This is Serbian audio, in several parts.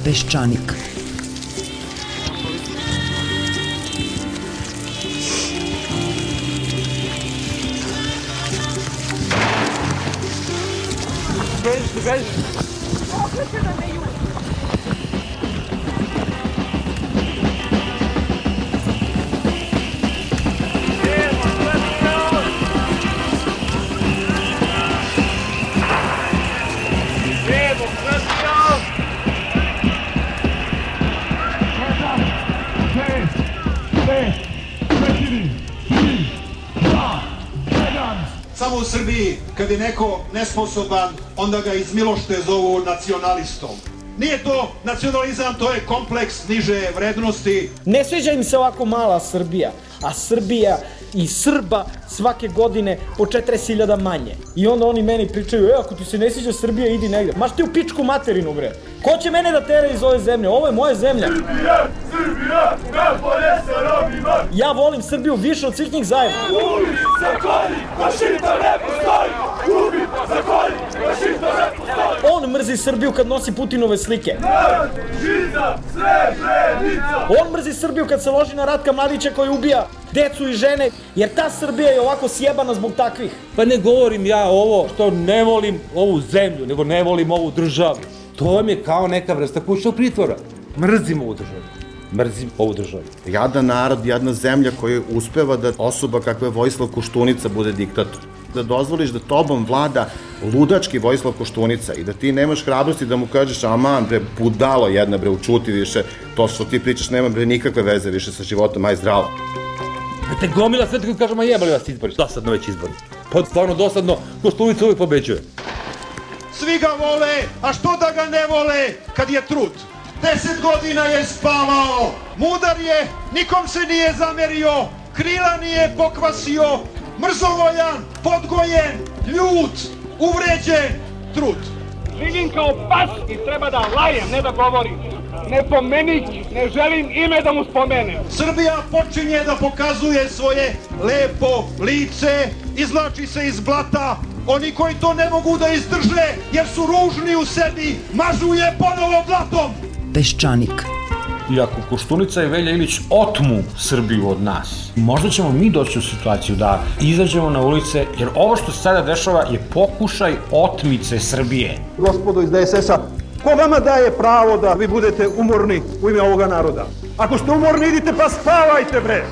Peščanik. Beži. Samo u Srbiji, kad je neko nesposoban, onda ga iz milošte zovu nacionalistom. Nije to nacionalizam, to je kompleks niže vrednosti. Ne sviđa im se ovako mala Srbija, a Srbija i Srba svake godine po 40.000 manje. I onda oni meni pričaju, ako ti se ne sviđa Srbija, idi negde. Maš ti u pičku materinu, bre. Ko će mene da tera iz ove zemlje? Ovo je moja zemlja. Srbija, najbolje sa Romima. Ja volim Srbiju više od svih njih zajedno. Ubi, zakolji, fašista ne postoji. Ubi, zakolji, fašista ne postoji. On mrzi Srbiju kad nosi Putinove slike. Narod, žiza, Srebrenica. On mrzi Srbiju kad se loži na Ratka Mladića koji ubija decu i žene, jer ta Srbija je ovako sjebana zbog takvih. Pa ne govorim ja ovo što ne volim ovu zemlju, nego ne volim ovu državu. To vam je kao neka vrsta kućnog pritvora. Mrzim ovu državu. Mrzim ovu državu. Jadan narod, jedna zemlja koja uspeva da osoba kakva je Vojislav Koštunica bude diktator. Da dozvoliš da tobom vlada ludački Vojislav Koštunica i da ti nemaš hrabrosti da mu kažeš aman bre, budalo jedna bre, učuti više, to što ti pričaš nema bre nikakve veze više sa životom, aj zdravo. Te gomila sve tako kažem, a jebali vas izbori. Dosadno već izbori. Pa stvarno dosadno, Koštunica uvijek pobeđuje. Svi ga vole, a što da ga ne vole kad je trud? 10 godina je spavao, mudar je, nikom se nije zamerio, krila nije pokvasio, mrzovoljan, podgojen, ljut, uvređen, trud. Živim kao pas i treba da lajem, ne da govorim. Ne pomenik, ne želim ime da mu spomenem. Srbija počinje da pokazuje svoje lepo lice, izvlači se iz blata. Oni koji to ne mogu da izdrže jer su ružni u sebi, mažu je ponovo blatom. Peščanik. I ako Koštunica i Velja Ilić otmu Srbiju od nas, možda ćemo mi doći u situaciju da izađemo na ulice, jer ovo što se sada dešava je pokušaj otmice Srbije. Gospodo iz DSS-a, ko vama daje pravo da vi budete umorni u ime ovoga naroda? Ako ste umorni, idite pa spavajte bre!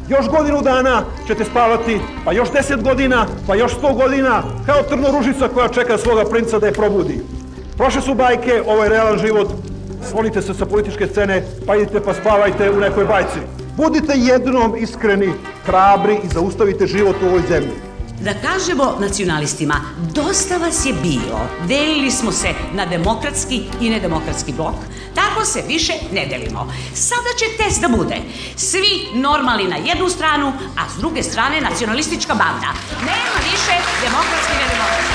Još godinu dana ćete spavati, pa još 10 godina, pa još 100 godina, kao trnoružica koja čeka svoga princa da je probudi. Prošle su bajke, ovo je realan život, sklonite se sa političke scene, pa idite pa spavajte u nekoj bajci. Budite jednom iskreni, hrabri i zaustavite život u ovoj zemlji. Da kažemo nacionalistima, dosta vas je bilo, delili smo se na demokratski i nedemokratski blok, tako se više ne delimo. Sada će test da bude, svi normalni na jednu stranu, a s druge strane nacionalistička banda. Nema više demokratski i nedemokratski.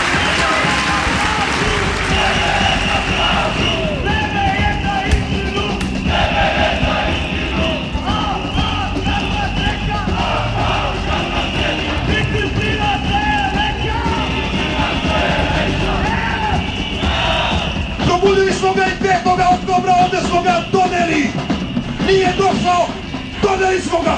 Probudili smo ga i 5. oktobra, ovde smo ga doneli. Nije došao, doneli smo ga.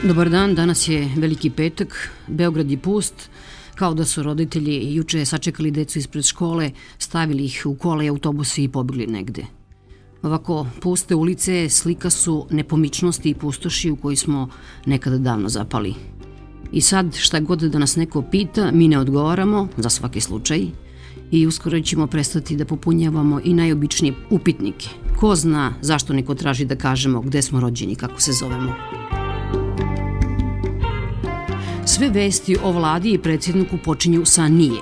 Dobar dan, danas je Veliki petak, Beograd je pust, kao da su roditelji juče sačekali decu ispred škole, stavili ih u kola i autobuse i pobegli negde. Ovako puste ulice slika su nepomičnosti i pustoši u koji smo nekada davno zapali. I sad šta god da nas neko pita, mi ne odgovaramo, za svaki slučaj, i uskoro ćemo prestati da popunjavamo i najobičnije upitnike. Ko zna zašto neko traži da kažemo gde smo rođeni, kako se zovemo. Sve vesti o vladi i predsjedniku počinju sa nije.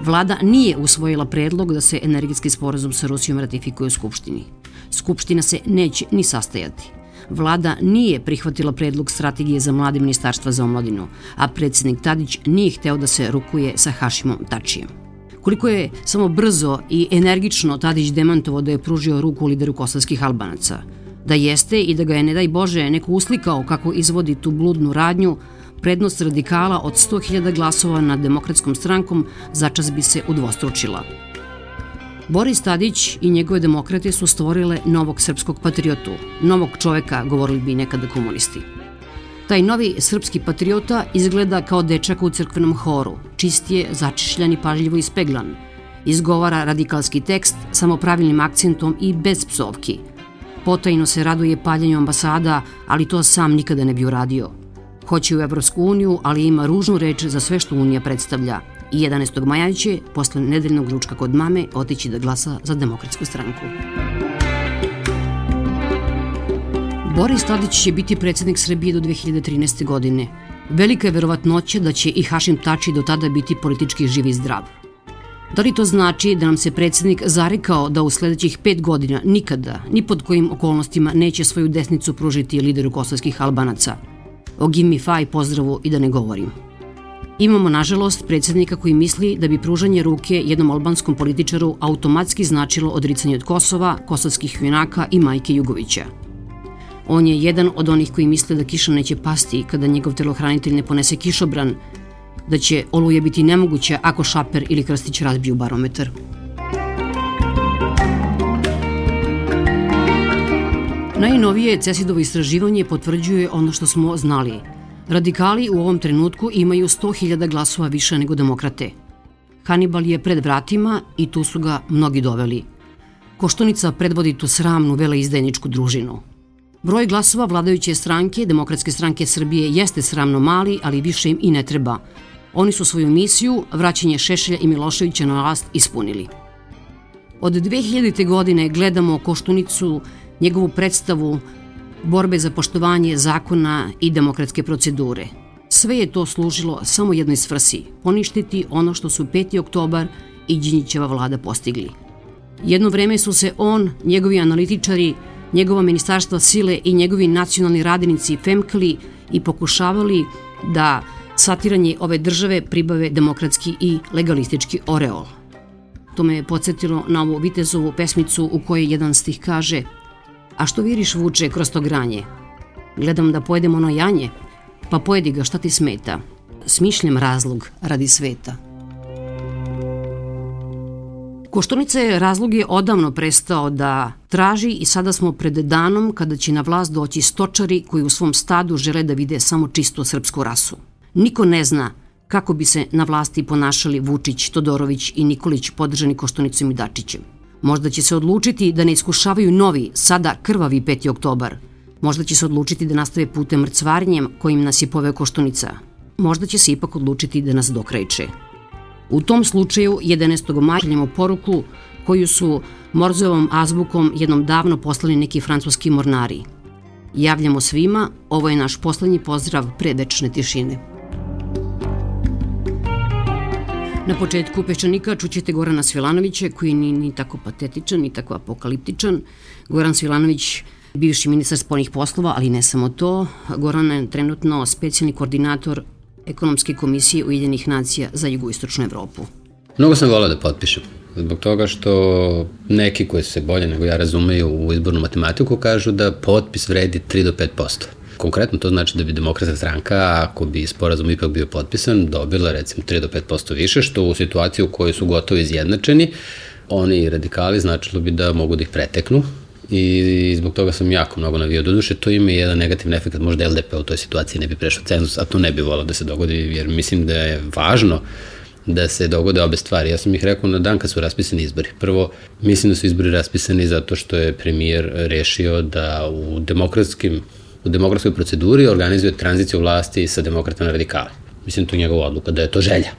Vlada nije usvojila predlog da se energetski sporazum sa Rusijom ratifikuje u Skupštini. Skupština se neće ni sastajati. Vlada nije prihvatila predlog strategije za mlade Ministarstva za omladinu, a predsjednik Tadić nije hteo da se rukuje sa Hašimom Tačijem. Koliko je samo brzo i energično Tadić demantovao da je pružio ruku lideru kosovskih Albanaca. Da jeste i da ga je, ne daj Bože, neko uslikao kako izvodi tu bludnu radnju, prednost radikala od 100.000 glasova nad Demokratskom strankom začas bi se udvostručila. Boris Tadić i njegove demokrate su stvorile novog srpskog patriotu, novog čoveka, govorili bi nekada komunisti. Taj novi srpski patriota izgleda kao dečak u crkvenom horu, čist je, začišljan i pažljivo ispeglan. Izgovara radikalski tekst samo pravilnim akcentom i bez psovki. Potajno se raduje paljenju ambasada, ali to sam nikada ne bi uradio. Hoće u Evropsku uniju, ali ima ružnu reč za sve što Unija predstavlja. I 11. maja će, posle nedeljnog ručka kod mame, otići da glasa za Demokratsku stranku. Boris Tadić će biti predsjednik Srbije do 2013. godine. Velika je verovatnoća da će i Hašim Tači do tada biti politički živ i zdrav. Da li to znači da nam se predsjednik zarekao da u sledećih 5 godina nikada, ni pod kojim okolnostima neće svoju desnicu pružiti lideru kosovskih Albanaca? O Gimi Faj pozdravu i da ne govorim. Imamo, nažalost, predsjednika koji misli da bi pružanje ruke jednom albanskom političaru automatski značilo odricanje od Kosova, kosovskih junaka i majke Jugovića. On je jedan od onih koji misle da kiša neće pasti kada njegov telohranitelj ne ponese kišobran, da će oluja biti nemoguća ako Šaper ili Krstić razbiju barometar. Najnovije CESID-ovo istraživanje potvrđuje ono što smo znali. Radikali u ovom trenutku imaju 100.000 glasova više nego demokrate. Hanibal je pred vratima i tu su ga mnogi doveli. Koštunica predvodi tu sramnu veleizdajničku družinu. Broj glasova vladajuće stranke, Demokratske stranke Srbije, jeste sramno mali, ali više im i ne treba. Oni su svoju misiju, vraćanje Šešelja i Miloševića na vlast, ispunili. Od 2000. godine gledamo Koštunicu, njegovu predstavu borbe za poštovanje zakona i demokratske procedure. Sve je to služilo samo jednoj svrsi, poništiti ono što su 5. oktobar i Đinđićeva vlada postigli. Jedno vreme su se on, njegovi analitičari, njegova ministarstva sile i njegovi nacionalni radinici femkali i pokušavali da satiranje ove države pribave demokratski i legalistički oreol. To me je podsjetilo na ovu Vitezovu pesmicu u kojoj jedan stih kaže: "A što viriš vuče kroz to granje? Gledam da pojedem ono janje, pa pojedi ga, šta ti smeta? Smišljam razlog radi sveta." Koštunica je razlog je odavno prestao da traži i sada smo pred danom kada će na vlast doći stočari koji u svom stadu žele da vide samo čistu srpsku rasu. Niko ne zna kako bi se na vlasti ponašali Vučić, Todorović i Nikolić podržani Koštunicom i Dačićem. Možda će se odlučiti da ne iskušavaju novi, sada krvavi 5. oktobar. Možda će se odlučiti da nastave putem mrcvarnjem kojim nas je poveo Koštunica. Možda će se ipak odlučiti da nas dokrajče. U tom slučaju 11. maja šaljemo poruku koju su Morzeovom azbukom jednom davno poslali neki francuski mornari. Javljamo svima, ovo je naš poslednji pozdrav pre večne tišine. Na početku Peščanika čućete Gorana Svilanovića, koji ni tako patetičan, ni tako apokaliptičan. Goran Svilanović, bivši ministar spoljnih poslova, ali ne samo to. Goran je trenutno specijalni koordinator Ekonomske komisije Ujedinjenih nacija za jugoistočnu Evropu. Mnogo sam volao da potpišem, zbog toga što neki koji se bolje nego ja razumeju u izbornu matematiku kažu da potpis vredi 3 do 5%. Konkretno to znači da bi Demokratska stranka, ako bi sporazum ipak bio potpisan, dobila recimo 3 do 5% više, što u situaciji u kojoj su gotovo izjednačeni, oni radikali značilo bi da mogu da ih preteknu. I zbog toga sam jako mnogo navio. Doduše, to ima jedan negativan efekt, možda LDP u toj situaciji ne bi prešao cenzus, a to ne bi volao da se dogodi, jer mislim da je važno da se dogode obe stvari. Ja sam ih rekao na dan kad su raspisani izbori. Prvo, mislim da su izbori raspisani zato što je premijer rešio da u demokratskoj proceduri organizuje tranziciju vlasti sa demokrata na radikale. Mislim, to je njegova odluka, da je to želja.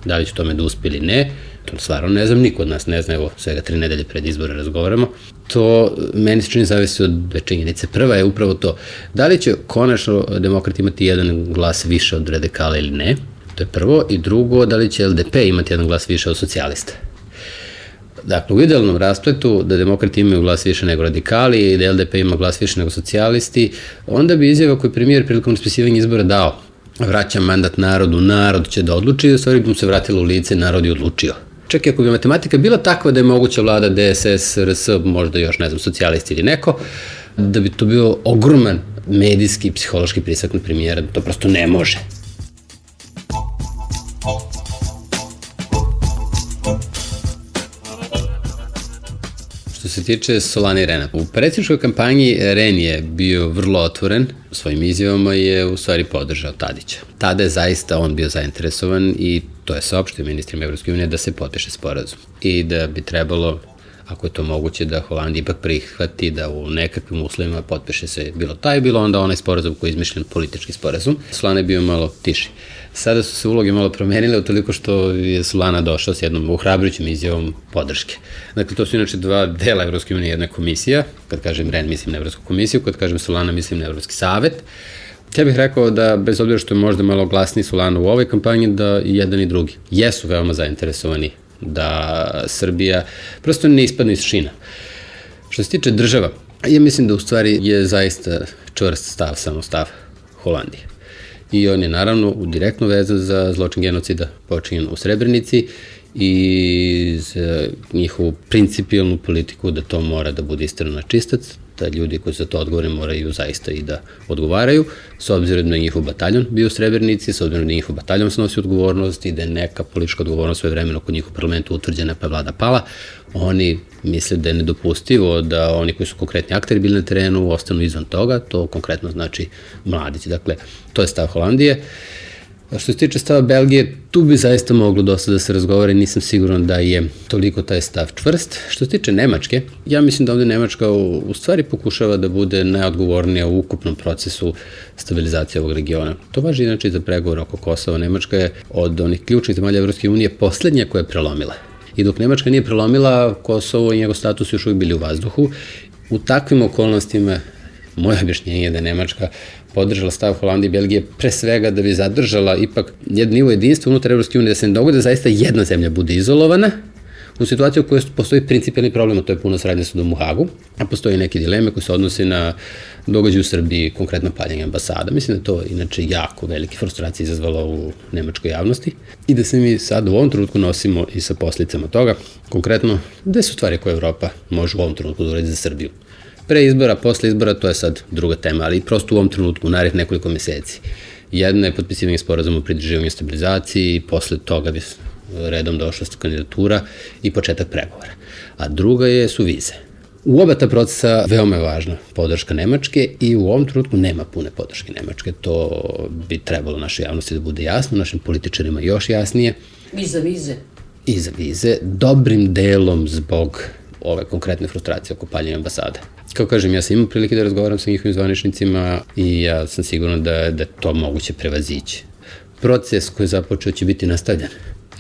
Da li će tome da uspe ili ne, to stvarno ne znam, niko od nas ne zna, evo, svega 3 nedelje pred izbore razgovaramo. To meni se čini zavisi od dve činjenice. Prva je upravo to, da li će konačno demokrati imati jedan glas više od radikala ili ne, to je prvo, i drugo, da li će LDP imati jedan glas više od socijalista. Dakle, u idealnom raspletu da demokrati imaju glas više nego radikali i da LDP ima glas više nego socijalisti, onda bi izjava koju je premijer prilikom raspisivanja izbora dao: vraćam mandat narodu, narod će da odluči, i u stvari bi mu se vratilo u lice, narod je odlučio. čak i ako bi matematika bila takva da je moguća vlada DSS, RS, možda još, ne znam, socijalisti ili neko, da bi to bio ogroman medijski i psihološki pritisak na premijera, to prosto ne može. Što se tiče Solane i Rena, u predsjedničkoj kampanji Ren je bio vrlo otvoren, svojim izjavama je u stvari podržao Tadića. Tada je zaista on bio zainteresovan i to je saopštio ministrima Evropske unije da se potpiše sporazum i da bi trebalo, ako je to moguće, da Holandija ipak prihvati da u nekakvim uslovima potpiše se bilo taj, bilo onda onaj sporazum koji je izmišljen politički sporazum. Solana je bio malo tiši. Sada su se uloge malo promenile utoliko što je Solana došao s jednom uhrabrujućim izjavom podrške. Dakle, to su inače dva dela Evropske unije, jedna komisija, kad kažem Ren mislim na Evropsku komisiju, kad kažem Solana mislim na Evropski savet. Ja bih rekao da, bez obzira što je možda malo glasniji Solana u ovoj kampanji, da i jedan i drugi jesu veoma zainteresovani da Srbija prosto ne ispadne iz šina. Što se tiče država, ja mislim da u stvari je zaista čvrst stav, samo stav Holandije. I on je naravno direktno vezan za zločin genocida počinjen u Srebrenici i za njihovu principijalnu politiku da to mora da bude istrano na čistac, da ljudi koji za to odgovore moraju zaista i da odgovaraju, s obzirom da je njihov bataljon bio u Srebrenici, s obzirom da je njihov bataljon snosi odgovornost i da je neka politička odgovornost sve vremena kod njihov parlamentu utvrđena pa vlada pala, oni misle da je nedopustivo da oni koji su konkretni akteri bili na terenu ostanu izvan toga, to konkretno znači mladići. Dakle, to je stav Holandije. Što se tiče stava Belgije, tu bi zaista moglo dosta da se razgovara i nisam siguran da je toliko taj stav čvrst. Što se tiče Nemačke, ja mislim da ovde Nemačka u stvari pokušava da bude najodgovornija u ukupnom procesu stabilizacije ovog regiona. To važi inače i za pregovor oko Kosova. Nemačka je od onih ključnih zemalja Evropske unije poslednja koja je prelomila. I dok Nemačka nije prelomila, Kosovo i njegov status još uvijek bili u vazduhu. U takvim okolnostima, moje objašnjenje je da je Nemačka podržala stav Holandije i Belgije pre svega da bi zadržala ipak jedan nivo jedinstva unutar Evropske unije, da se ne dogode da zaista jedna zemlja bude izolovana u situaciji u kojoj postoji principijalni problem, a to je puno saradnje sa sudom u Hagu, a postoji neke dileme koje se odnose na događaj u Srbiji, konkretno paljenje ambasada. Mislim da to inače jako velike frustracije izazvalo u nemačkoj javnosti i da se mi sad u ovom trenutku nosimo i sa posledicama toga, konkretno gde su stvari koje Evropa može u ovom trenutku da uredi za Srbiju. Pre izbora, posle izbora, to je sad druga tema, ali prosto u ovom trenutku, u narednih nekoliko meseci. Jedna je potpisivanje sporazuma o pridruživanju i stabilizaciji, posle toga bi redom došla kandidatura i početak pregovora. A druga su vize. U oba ta procesa veoma je važna podrška Nemačke i u ovom trenutku nema pune podrške Nemačke. To bi trebalo našoj javnosti da bude jasno, našim političarima još jasnije. I za vize. I za vize, dobrim delom zbog ove konkretne frustracije oko paljenja ambasade. Kao kažem, ja sam imao prilike da razgovaram sa njihovim zvaničnicima i ja sam siguran da je to moguće prevazići. Proces koji je započeo će biti nastavljan.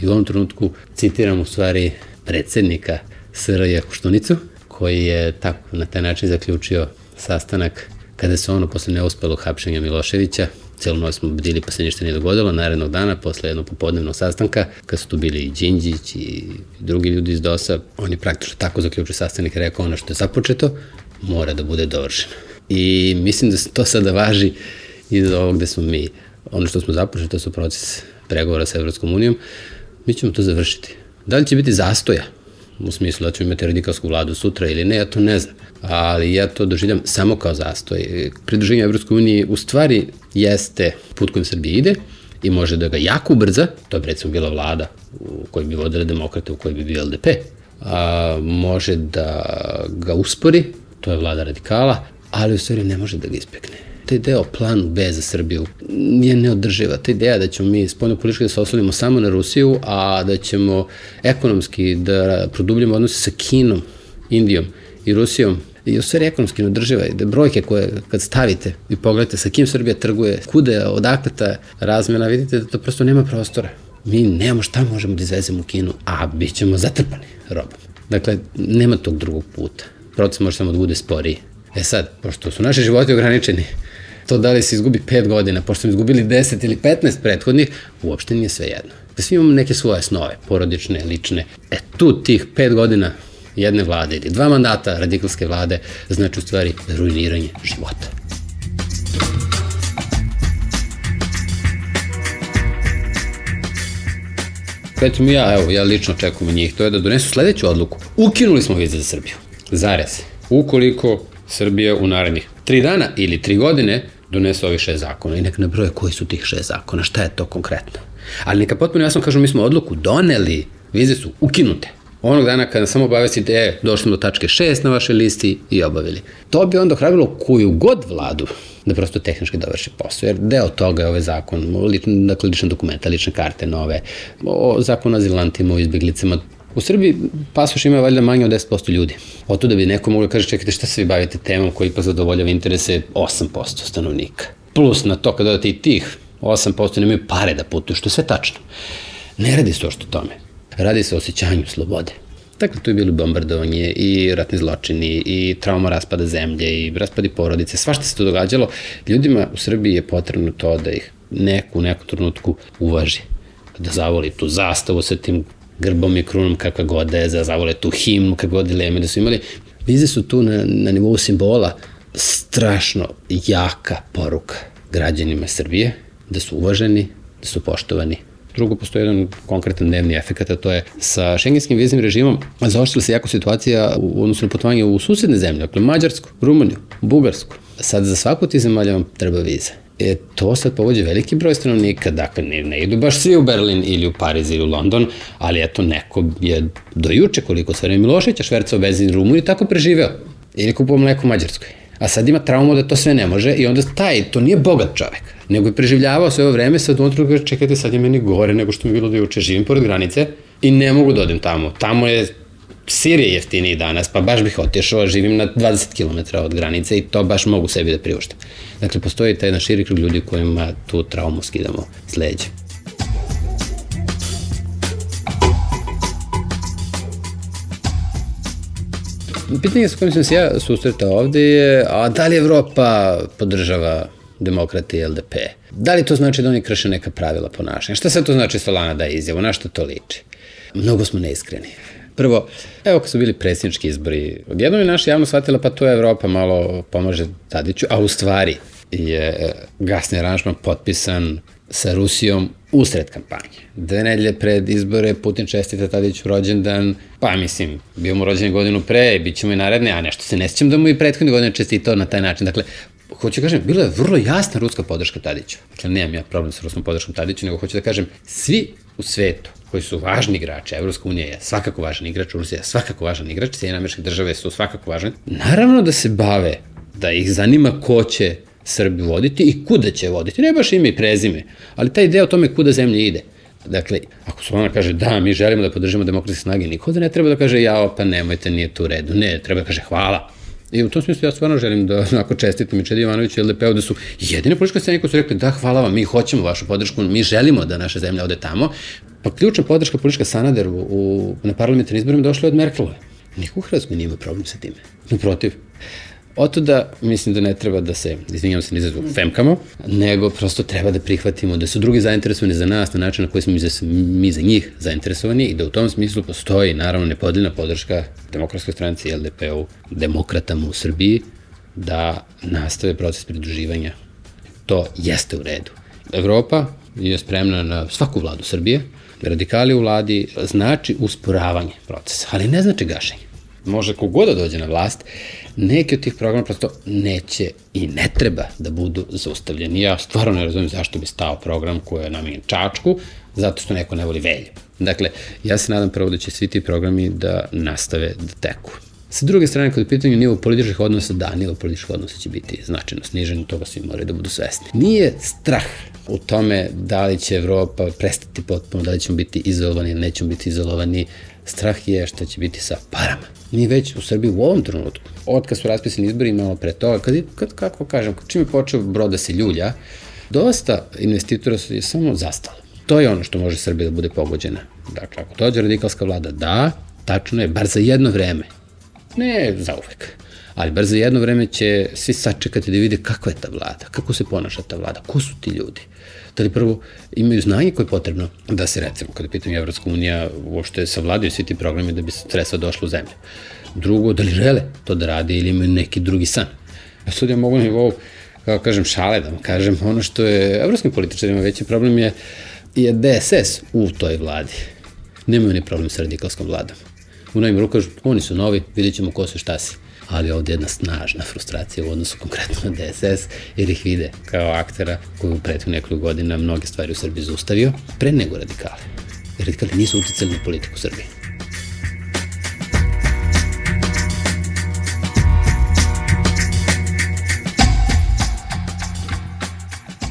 I u ovom trenutku citiram u stvari predsednika SRJ Koštunicu, koji je tako na taj način zaključio sastanak kada se ono posle neuspelog hapšenja Miloševića, celu noć smo bdili pa se ništa nije dogodilo, narednog dana posle jednog popodnevnog sastanka, kad su tu bili i Đinđić i drugi ljudi iz DOS-a, on je praktično tako zaključio sastanak i rekao ono što je započeto mora da bude dovršeno. I mislim da to sada važi i za ovo gde smo mi. Ono što smo započeli, to su proces pregovora sa Evropskom unijom, mi ćemo to završiti. Da li će biti zastoja? U smislu da ćemo imati radikalsku vladu sutra ili ne, ja to ne znam. Ali ja to doživljam samo kao zastoj. Pridruženje Evropskoj uniji u stvari jeste put kojim Srbija ide i može da ga jako ubrza, to je recimo bila vlada u kojoj bi vodile demokrate, u kojoj bi bio LDP, a može da ga uspori, to je vlada radikala, ali u stvari ne može da ga ispekne. Ta ideja o planu B za Srbiju je neodrživa. Ta ideja da ćemo mi spoljno politički da se oslonimo samo na Rusiju, a da ćemo ekonomski da produbljamo odnose sa Kinom, Indijom i Rusijom, i u stvari ekonomski neodrživa. Da brojke koje kad stavite i pogledate sa kim Srbija trguje, kude, odakle ta razmena, vidite da to prosto nema prostora. Mi nemamo šta možemo da izvezemo u Kinu, a bit ćemo zatrpani robom. Dakle, nema tog drugog puta. Proces može samo da bude sporiji. Sad, pošto su naši životi ograničeni, to da li se izgubi 5 godina, pošto smo izgubili 10 ili 15 prethodnih, uopšte nije sve jedno. Da svi imamo neke svoje snove, porodične, lične. Tu tih 5 godina jedne vlade ili 2 mandata radikalske vlade znači u stvari ruiniranje života. recimo ja lično očekujem njih, to je da donesu sledeću odluku. Ukinuli smo vize za Srbiju. Zarez. Ukoliko Srbija u narednih 3 dana ili 3 godine donese ovih 6 zakona i nek nabroje koji su tih 6 zakona, šta je to konkretno. Ali neka potpuno jasno kažu, mi smo odluku doneli, vize su ukinute. Onog dana kada samo obavestite, došli smo do tačke 6 na vašoj listi i obavili. To bi onda ohrabilo koju god vladu da prosto tehnički dovrši posao, jer deo toga je ovaj zakon, dakle lične dokumenta, lične karte nove, zakon o azilantima, o izbeglicama. U Srbiji pasoš ima valjda manje od 10% ljudi. O to da bi neko moglo kaže, čekajte, šta se vi bavite temom koji ipak zadovoljava interese 8% stanovnika. Plus na to kada dodate i tih 8% nemaju pare da putuju, što je sve tačno. Ne radi se ošto tome. Radi se o osjećanju slobode. Dakle, tu je bilo bombardovanje i ratni zločini i trauma raspada zemlje i raspadi porodice. Svašta se to događalo. Ljudima u Srbiji je potrebno to da ih neko u nekom trenutku uvaži. Da zavoli tu zastavu sa tim grbom i krunom kakva god da je, da zavole tu himnu kakva god dileme da su imali. Vize su tu na nivou simbola strašno jaka poruka građanima Srbije da su uvaženi, da su poštovani. Drugo, postoji jedan konkretan dnevni efekt, a to je sa šengenskim viznim režimom zaoštrila se jako situacija u odnosu na putovanje u susedne zemlje, dakle Mađarsku, Rumuniju, Bugarsku. Sad za svaku ti zemalja vam treba viza. To sad povođe veliki broj stanovnika, dakle ne idu baš svi u Berlin ili u Pariz ili u London, ali eto neko je do juče koliko Sverime Miloševića švercao benzin u Rumuniji tako preživeo ili kupovao mleko u Mađarskoj. A sad ima traumu da to sve ne može i onda to nije bogat čovek, nego je preživljavao sve ovo vreme, sad u onotru kaže čekajte sad je meni gore nego što mi je bilo do juče, živim pored granice i ne mogu da odem tamo. Tamo je sir je jeftiniji danas, pa baš bih otišao, živim na 20 km od granice i to baš mogu sebi da priuštim. Dakle, postoji taj jedan širi krug ljudi kojima tu traumu skidamo s leđa. Pitanje sa kojim sam se ja susretao ovde je, a da li Evropa podržava demokrate i LDP? Da li to znači da oni krše neka pravila ponašanja? Šta sad to znači Solana daje izjavu? Na što to liči? Mnogo smo neiskreni. Prvo, evo kad su bili predsjednički izbori, odjednom je naša javnost shvatila pa to Evropa malo pomaže Tadiću, a u stvari je gasni aranžman potpisan sa Rusijom usred kampanje. 2 nedelje pred izbore Putin čestita Tadiću rođendan, pa mislim, bio mu rođendan godinu pre, bit ćemo i naredne, a nešto se ne sjećam da mu i prethodne godine čestitao na taj način. Dakle, hoću kažem, bilo je vrlo jasna ruska podrška Tadiću. Dakle, nemam ja problem sa ruskom podrškom Tadiću, nego hoću da kažem, svi u svetu koji su važni igrači, Evropska unija je svakako važan igrač, Rusija je svakako važan igrač, Sjedinjene Američke Države su svakako važne. Naravno da se bave, da ih zanima ko će Srbiju voditi i kuda će voditi. Ne baš ime i prezime, ali taj ideja o tome kuda zemlja ide. Dakle, ako Solana kaže da, mi želimo da podržimo demokratske snage, niko da ne treba da kaže jao, pa nemojte, nije tu u redu. Ne, treba da kaže hvala. I u tom smislu ja stvarno želim da onako čestitam i Čedi Jovanoviću i LDP-u da su jedine političke scene koje su rekli da, hvala vam, mi hoćemo vašu podršku, mi želimo da naša zemlja ode tamo. Pa ključna podrška politička Sanaderu na parlamentarnim izborima došla je od Merkelove. Niko u Hrvatskoj nije imao problem sa time. Naprotiv. Oto da mislim da ne treba da se, izvinjam se, nizazu femkamo, nego prosto treba da prihvatimo da su drugi zainteresovani za nas na način na koji smo mi za njih zainteresovani i da u tom smislu postoji naravno nepodeljna podrška Demokratskoj stranci i LDP-u, demokratama u Srbiji, da nastave proces pridruživanja. To jeste u redu. Evropa je spremna na svaku vladu Srbije, radikali u vladi znači usporavanje procesa, ali ne znači gašenje. Može kogod da dođe na vlast, neki od tih programa prosto neće i ne treba da budu zaustavljeni. Ja stvarno ne razumijem zašto bi stao program koji je namenjen Čačku, zato što neko ne voli Velju. Dakle, ja se nadam prvo da će svi ti programi da nastave da teku. Sa druge strane, kada je pitanje nivo političkih odnosa, da, nivo političkih odnosa će biti značajno snižen, toga svi moraju da budu svesni. Nije strah u tome da li će Evropa prestati potpuno, da li ćemo biti izolovani ili nećemo biti izolovani. Strah je što će biti sa parama. Mi već u Srbiji u ovom trenutku, od kad su raspisani izbori malo pre toga, kako kažem, čim je počeo brod da se ljulja, dosta investitora je samo zastalo. To je ono što može Srbija da bude pogođena. Dakle, ako dođe radikalska vlada, da, tačno je, bar za jedno vreme. Ne za uvek, ali bar za jedno vreme će svi sačekati da vide kakva je ta vlada, kako se ponaša ta vlada, ko su ti ljudi. Da li prvo imaju znanje koje je potrebno da se, recimo, kada pitanje Evropska unija, uopšte savladaju svi ti programi da bi sredstva došla u zemlju. Drugo, da li žele to da rade ili imaju neki drugi san. Sad ja mogu na nivou, kako kažem, šale da vam kažem, ono što je evropskim političarima veći problem je DSS u toj vladi. Nemaju ni problem sa radikalskom vladom. U novim rukama, oni su novi, vidjet ćemo ko su šta si. Ali ovdje je jedna snažna frustracija u odnosu konkretno na DSS, jer ih vide kao aktera koji u prethodnih nekoliko godina mnoge stvari u Srbiji zaustavio, pre nego radikale. Radikali nisu uticali na politiku Srbije.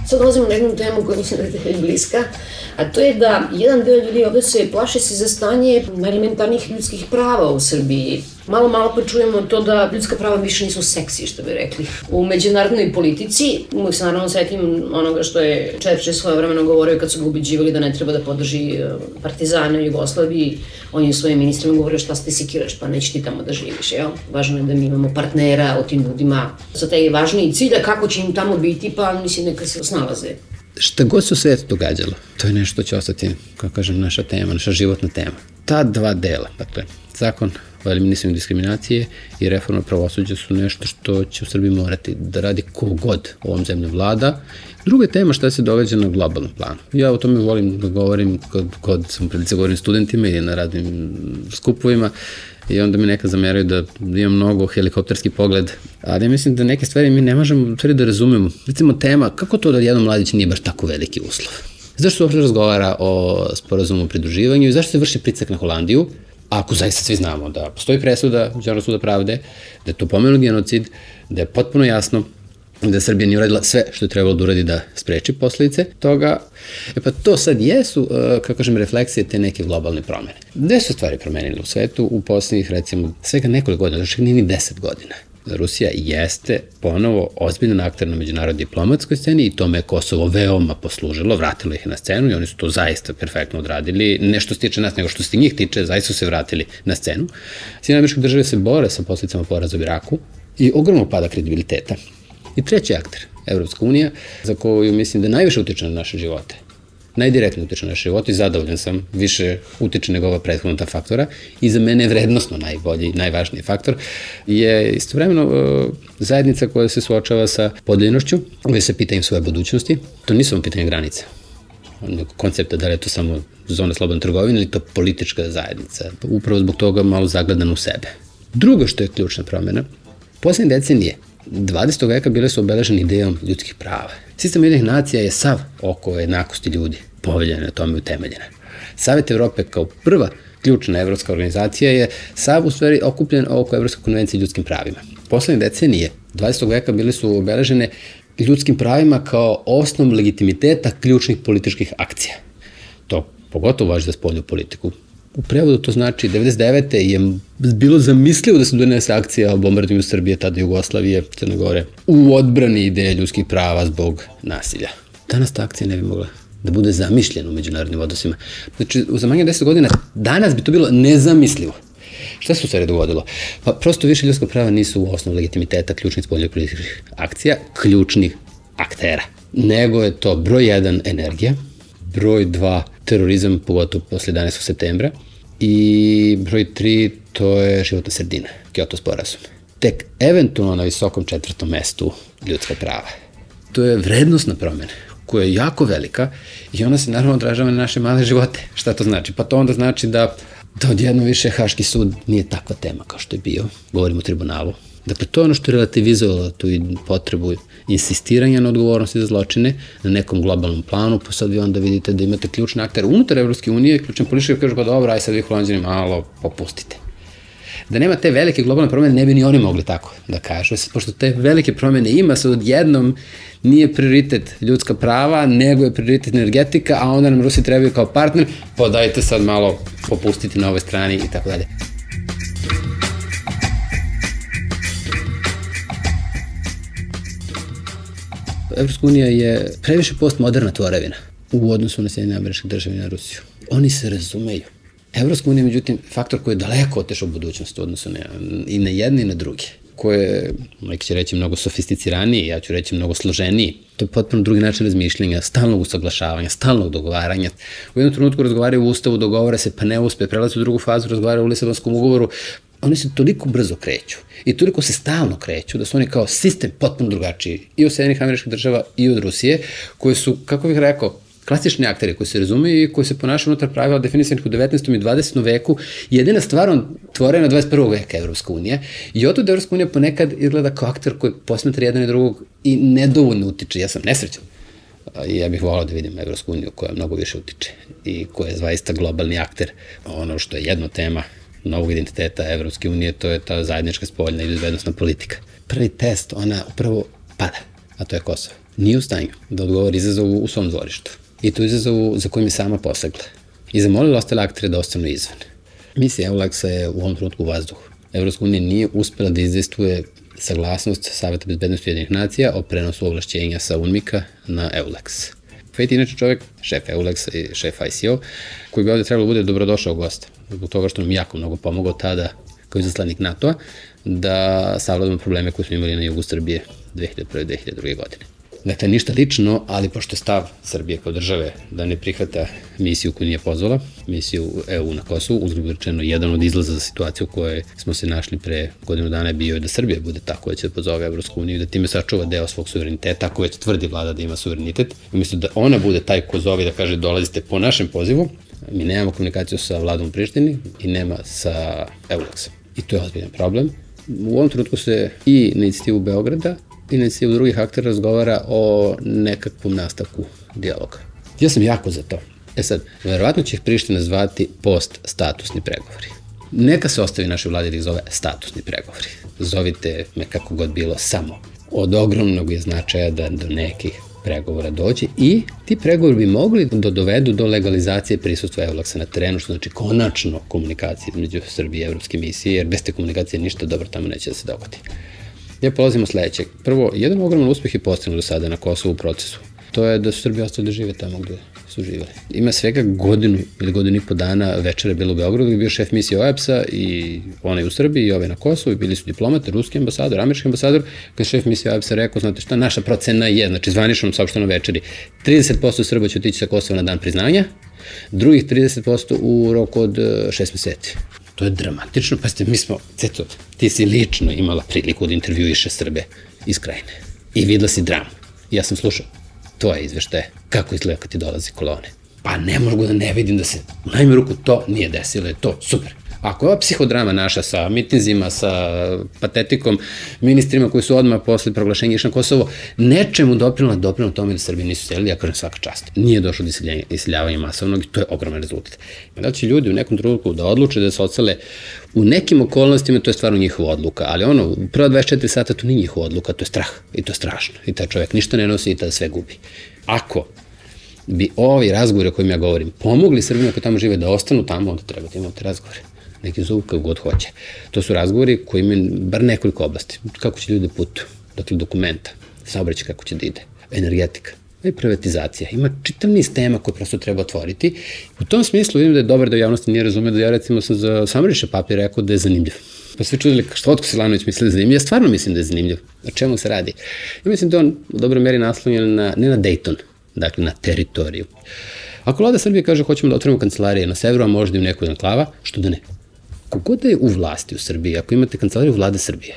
Sad dolazimo na jednu temu koja mislim da je bliska, a to je da jedan deo ljudi ovde se plaše se za stanje elementarnih ljudskih prava u Srbiji. Malo pa čujemo to da ljudska prava više nisu seksi, što bi rekli. U međunarodnoj politici, uvijek se naravno setim onoga što je Churchill svojevremeno govorio kad su ga ubeđivali da ne treba da podrži partizane u Jugoslaviji. On je svojim ministrima govorio šta se ti sikiraš, pa neće ti tamo da živiš, jel? Važno je da mi imamo partnera o tim ljudima. Za taj važniji cilj, a kako će im tamo biti, pa mislim neka se snalaze. Šta god se u svijetu događalo, to je nešto što će ostati, kako kažem, naša tema, naša životna tema. Ta dva dela, dakle, zakon o eliminisanju diskriminacije i reforma pravosuđa su nešto što će u Srbiji morati da radi kogod ovom zemljom vlada. Druga je tema šta se događa na globalnom planu. Ja o tome volim da govorim kod sam prilice govorim studentima ili na raznim skupovima i onda mi neka zameraju da imam mnogo helikopterski pogled, ali ja mislim da neke stvari mi ne možemo da razumemo. Recimo tema, kako to da jedan mladić nije baš tako veliki uslov? Zašto se uopšte razgovara o sporazumu o pridruživanju i zašto se vrši pritisak na Holandiju? Ako zaista svi znamo da postoji presuda Međunarodnog suda pravde, da je to pomenut genocid, da je potpuno jasno da Srbija nije uradila sve što je trebalo da uradi da spreči posledice toga. Pa to sad jesu, kako kažem, refleksije te neke globalne promene. Gde su stvari promenile u svetu u poslednjih, recimo, svega nekoliko godina, znači nije ni 10 godina. Rusija jeste ponovo ozbiljan akter na međunarodnoj diplomatskoj sceni i tome je Kosovo veoma poslužilo, vratilo ih na scenu i oni su to zaista perfektno odradili. Ne što se tiče nas, nego što se njih tiče, zaista su se vratili na scenu. Sjedinjene Američke Države se bore sa posledicama poraza u Iraku i ogromno pada kredibiliteta. I treći akter, Evropska unija, za koju mislim da najviše utiče na naše živote. Najdirektno utiče na naše živote i zadovoljan sam, više utiče nego ova prethodna ta faktora i za mene je vrednostno najbolji, najvažniji faktor, je istovremeno zajednica koja se suočava sa podeljenošću, koja se pita im svoje budućnosti. To nisu pitanje granica, koncepta da li je to samo zona slobodne trgovine ili to politička zajednica, upravo zbog toga malo zagledan u sebe. Drugo što je ključna promjena, poslednje decenije 20. veka bile su obeležene idejom ljudskih prava. Sistem Ujedinjenih nacija je sav oko jednakosti ljudi, poveljena na tome utemeljena. Savet Evrope kao prva ključna evropska organizacija je sav u stvari okupljen oko Evropske konvencije o ljudskim pravima. Poslednje decenije 20. veka bile su obeležene ljudskim pravima kao osnov legitimiteta ključnih političkih akcija. To pogotovo važi za spoljnu politiku. U prevodu to znači 99. je bilo zamislivo da se donese akcija o bombardiranju Srbije, tada Jugoslavije, Crne Gore, u odbrani ideje ljudskih prava zbog nasilja. Danas ta akcija ne bi mogla da bude zamišljena u međunarodnim odnosima. Znači, za manje 10 godina danas bi to bilo nezamislivo. Šta se u stvari dogodilo? Pa prosto više ljudska prava nisu u osnovu legitimiteta ključnih spoljnih političkih akcija, ključnih aktera. Nego je to broj 1 energija, broj 2 terorizam, pogotovo posle 11. septembra, i broj 3 to je životna sredina, Kyoto sporazum. Tek eventualno na visokom 4. mestu ljudska prava. To je vrednostna promjena koja je jako velika i ona se naravno odražava na naše male živote. Šta to znači? Pa to onda znači da odjedno više Haški sud nije takva tema kao što je bio, govorimo o tribunalu. Dakle, to je ono što je relativizovalo tu potrebu insistiranja na odgovornosti za zločine na nekom globalnom planu, pa sad vi onda vidite da imate ključne aktere unutar Evropske unije, ključan politički kažu pa dobro, aj sad vi Holanđani malo popustite. Da nema te velike globalne promjene, ne bi ni oni mogli tako da kažu. Pošto te velike promjene ima, sad odjednom nije prioritet ljudska prava, nego je prioritet energetika, a onda nam Rusi trebaju kao partner, pa dajte sad malo popustiti na ovoj strani i tako dalje. Evropska unija je previše postmoderna tvorevina u odnosu na Sjedinjene Američke Države i na Rusiju. Oni se razumeju. Evropska unija je, međutim, faktor koji je daleko otišao u budućnost u odnosu i na jedne i na druge, koji je, neki će reći, mnogo sofisticiraniji, ja ću reći mnogo složeniji. To je potpuno drugi način razmišljenja, stalnog usaglašavanja, stalnog dogovaranja. U jednom trenutku razgovaraju u Ustavu, dogovore se, pa ne uspe, prelaze u drugu fazu, razgovaraju u Lisabonskom ugovoru. Oni se toliko brzo kreću i toliko se stalno kreću da su oni kao sistem potpuno drugačiji i od Sjedinjenih Američkih Država i od Rusije, koji su, kako bih rekao, klasični akteri koji se razumeju i koji se ponašaju unutar pravila definisanih u 19. i 20. veku, jedina stvar tvorena 21. veka Evropska unija i od Evropska unija ponekad izgleda kao akter koji posmetra jedan i drugog i nedovoljno utiče. Ja sam nesrećan. I ja bih volao da vidim Evropsku uniju koja mnogo više utiče i koja je zaista globalni akter. Ono što je jedna tema novog identiteta Evropske unije, to je ta zajednička spoljna i bezbednosna politika. Prvi test, ona upravo pada, a to je Kosovo. Nije u stanju da odgovori izazovu u svom dvorištu. I tu izazovu za kojim je sama posegla. I zamolila ostale aktere da ostanu izvan. Misija EULEX-a je u ovom trenutku u vazduhu. Evropska unija nije uspela da izdejstvuje saglasnost Saveta bezbednosti Ujedinjenih nacija o prenosu ovlašćenja sa UNMIK-a na EULEX. Fejt je inače čovek, šef EULEX-a i šef ICO, koji bi ovde trebalo bude dobrodošao gost. Zbog toga što nam jako mnogo pomogao tada kao izaslanik NATO-a da savladamo probleme koje smo imali na jugu Srbije 2001-2002. godine. Dakle, ništa lično, ali pošto je stav Srbije kao države da ne prihvata misiju koju nije pozvala, misiju EU na Kosovu, uzgled rečeno, jedan od izlaza za situaciju u kojoj smo se našli pre godinu dana je bio da Srbija bude ta koja će da pozove Evropsku uniju i da time sačuva deo svog suvereniteta, ako već tvrdi vlada da ima suverenitet. Umjesto da ona bude taj ko zove da kaže dolazite po našem pozivu, mi nemamo komunikaciju sa vladom u Prištini i nema sa EULEX-om. I to je ozbiljan problem. U ovom trenutku se i na inicijativu Beograda i na inicijativu drugih aktera razgovara o nekakvom nastavku dijaloga. Ja sam jako za to. Sad, verovatno će ih Priština zvati post-statusni pregovori. Neka se ostavi našoj vladi da ih zove statusni pregovori. Zovite me kako god bilo, samo. Od ogromnog je značaja da do nekih pregovora dođe i ti pregovori bi mogli da dovedu do legalizacije prisustva EULEX-a na terenu, što znači konačno komunikacije između Srbije i Evropske misije, jer bez te komunikacije ništa dobro tamo neće da se dogodi. Ja polazim od sledećeg. Prvo, jedan ogroman uspeh je postignut do sada na Kosovu u procesu. To je da su Srbi ostali da žive tamo gde su živeli. Ima svega godinu ili godinu i po dana večera je bilo u Beogradu, gde je bio šef misije OEBS-a i onaj u Srbiji i ovaj na Kosovu i bili su diplomate, ruski ambasador, američki ambasador, kada je šef misije OEBS-a rekao, znate šta, naša procena je, znači zvaničnom saopštenom večeri, 30% Srba će otići sa Kosova na dan priznanja, drugih 30% u roku od 6 meseci. To je dramatično, pa ste, mi smo, ceto, ti si lično imala priliku da intervjuiše Srbe iz Krajine i videla si dramu. Ja sam slušao tvoje izveštaje, kako izgleda kad ti dolazi kolone. Pa ne mogu da ne vidim da se, u najmanju ruku, to nije desilo, je to super. Ako je ova psihodrama naša sa mitinzima, sa patetikom, ministrima koji su odmah posle proglašenja išli na Kosovo, nečemu doprinula tome da Srbi nisu selili, ja kažem svaka čast. Nije došlo do iseljavanja masovnog i to je ogroman rezultat. Da li će ljudi u nekom trenutku da odluče da se odsele u nekim okolnostima, to je stvarno njihova odluka, ali ono, prva 24 sata to nije njihova odluka, to je strah i to je strašno. I taj čovjek ništa ne nosi i tada sve gubi. Ako bi ovi razgovori o kojim ja govorim pomogli Srbima koji tamo žive da ostanu tamo, onda treba da imate razgovore. Neki zovu kako god hoće. To su razgovori koji imaju bar nekoliko oblasti. Kako će ljudi putuju, dakle dokumenta, saobraćaj kako će da ide, energetika i privatizacija. Ima čitav niz tema koje prosto treba otvoriti. U tom smislu vidim da je dobar da javnosti nije razumio da ja recimo sam za Samariša papir rekao da je zanimljiv. Pa svi čudili što Otko Silanović misli da je zanimljiv. Ja stvarno mislim da je zanimljiv. O čemu se radi? Ja mislim da on u dobroj meri naslonjen ne na Dayton, dakle na teritoriju. Ako vlada Srbije kaže hoćemo da otvorimo kancelarije na severu, a možda i u nekoj enklava, što da ne? Kogod da je u vlasti u Srbiji, ako imate kancelariju vlade Srbije,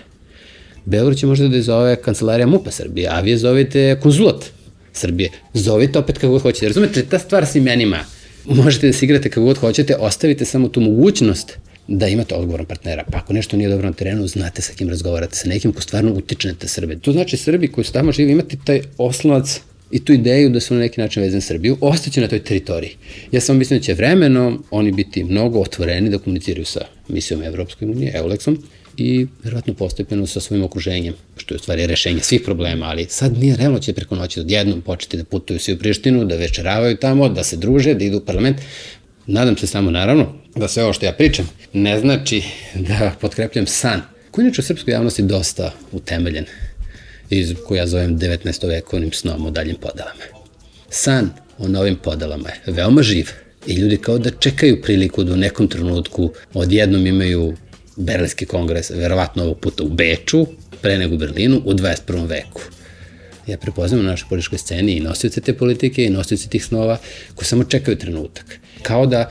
Beograd će možda da je zove kancelarija MUP-a Srbije, a vi je zovete konzulat Srbije. Zovite opet kako god hoćete. Razumete, ta stvar s imenima. Možete da se igrate kako god hoćete, ostavite samo tu mogućnost da imate odgovoran partnera. Pa ako nešto nije dobro na terenu, znate sa kim razgovarate, sa nekim ko stvarno utiče na te Srbe. To znači Srbi koji su tamo živi imati taj oslonac i tu ideju da su na neki način vezani Srbiju, ostaće na toj teritoriji. Ja samo mislim da će vremenom oni biti mnogo otvoreni da komuniciraju sa misijom Evropske unije, EULEX-om, i verovatno postepeno sa svojim okruženjem, što je u stvari rešenje svih problema, ali sad nije realno će preko noći odjednom početi da putuju svi u Prištinu, da večeravaju tamo, da se druže, da idu u parlament. Nadam se samo, naravno, da sve ovo što ja pričam ne znači da potkrepljam san, koji inače u srpskoj javnosti dosta utemeljen, koju ja zovem 19. vekovnim snom o daljim podelama. San o novim podelama je veoma živ i ljudi kao da čekaju priliku da u nekom trenutku odjednom imaju Berlinski kongres, verovatno ovog puta u Beču, pre nego u Berlinu, u 21. veku. Ja prepoznam na našoj političkoj sceni i nosioce te politike i nosioce tih snova koji samo čekaju trenutak. Kao da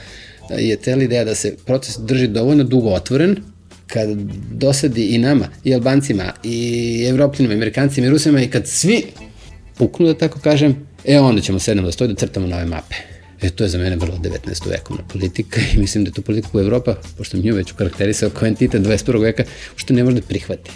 je cela ideja da se proces drži dovoljno dugo otvoren, kad dosadi i nama, i Albancima, i Evropljanima, i Amerikancima, i Rusima, i kad svi puknu, da tako kažem, Onda ćemo sednemo da stoji da crtamo nove mape. To je za mene vrlo 19. vekovna politika i mislim da je to politika koju Evropa, pošto mi nju već ukarakterisao kao entitet 21. veka, što ne može da prihvati.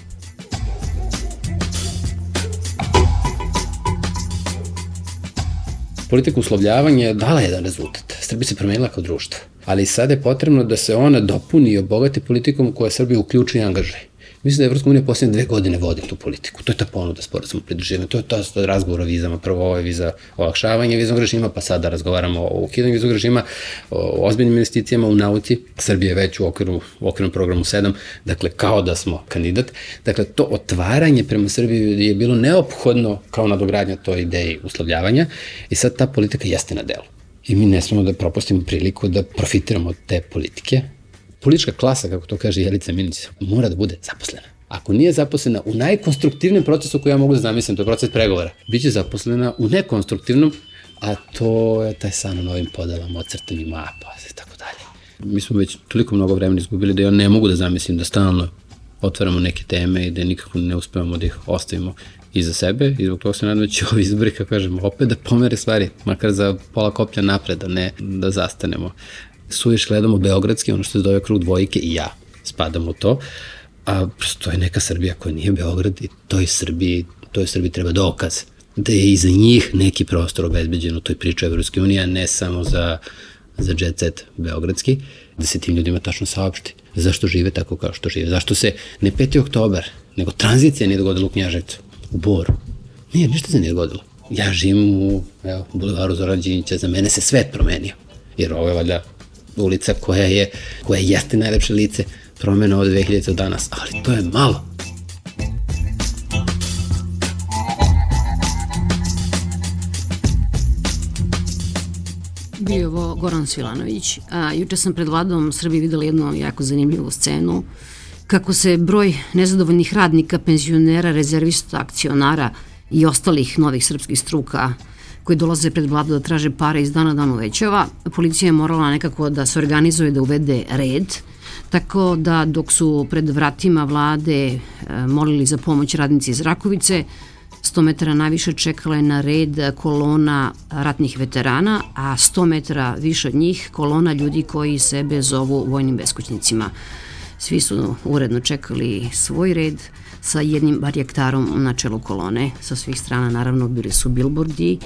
Politika uslovljavanja je dala jedan rezultat. Srbija se promenila kao društvo, ali sada je potrebno da se ona dopuni i obogati politikom koja Srbija uključuje i angažuje. Mislim da je Evropska unija posljednje 2 godine vodi tu politiku. To je ta ponuda sporazuma pridruživanja, to je ta razgovor o vizama. Prvo ovo je viza olakšavanja viznog režima, pa sada razgovaramo o ukidanju viznog režima, o ozbiljnim investicijama u nauci. Srbija je već u okvirnom programu 7, dakle kao da smo kandidat. Dakle, to otvaranje prema Srbiji je bilo neophodno kao nadogradnja toj ideji uslovljavanja i sad ta politika jeste na delu. I mi ne smemo da propustimo priliku da profitiramo od te politike. Politička klasa, kako to kaže Jelica Minić, mora da bude zaposlena. Ako nije zaposlena u najkonstruktivnijem procesu koji ja mogu da zamislim, to je proces pregovora, biće zaposlena u nekonstruktivnom, a to je taj san o novim podelama, ocrtanim mapa i tako dalje. Mi smo već toliko mnogo vremena izgubili da ja ne mogu da zamislim da stalno otvaramo neke teme i da nikako ne uspevamo da ih ostavimo iza sebe i zbog toga se nadam da će ovi izbori, kako kažemo, opet da pomere stvari, makar za pola koplja napred, a ne da zastanemo. Suviš gledamo beogradski, ono što se zove krug dvojke i ja spadam u to, a to je neka Srbija koja nije Beograd i toj Srbiji treba dokaz da je i za njih neki prostor obezbeđen u toj priči Evropske unije, a ne samo za jet set beogradski, da se tim ljudima tačno saopšti zašto žive tako kao što žive, zašto se ne 5. oktobar, nego tranzicija nije dogodila u Knjaževcu, u Boru. Nije, ništa se nije dogodilo. Ja živim u bulevaru Zorana Đinđića, za mene se svet promenio, jer ovo je valjda ulica koja jeste najlepše lice promena od 2000 do danas, ali to je malo. Bio je ovo Goran Svilanović, a juče sam pred Vladom Srbije videla jednu jako zanimljivu scenu, kako se broj nezadovoljnih radnika, penzionera, rezervista, akcionara i ostalih novih srpskih struka koji dolaze pred Vladu da traže pare iz dana dan uvećava. Policija je morala nekako da se organizuje, da uvede red, tako da dok su pred vratima Vlade molili za pomoć radnici iz Rakovice, 100 metara najviše čekala je na red kolona ratnih veterana, a 100 metara više od njih kolona ljudi koji sebe zovu vojnim beskućnicima. Svi su uredno čekali svoj red sa jednim barjaktarom na čelu kolone. Sa svih strana naravno bili su bilbordi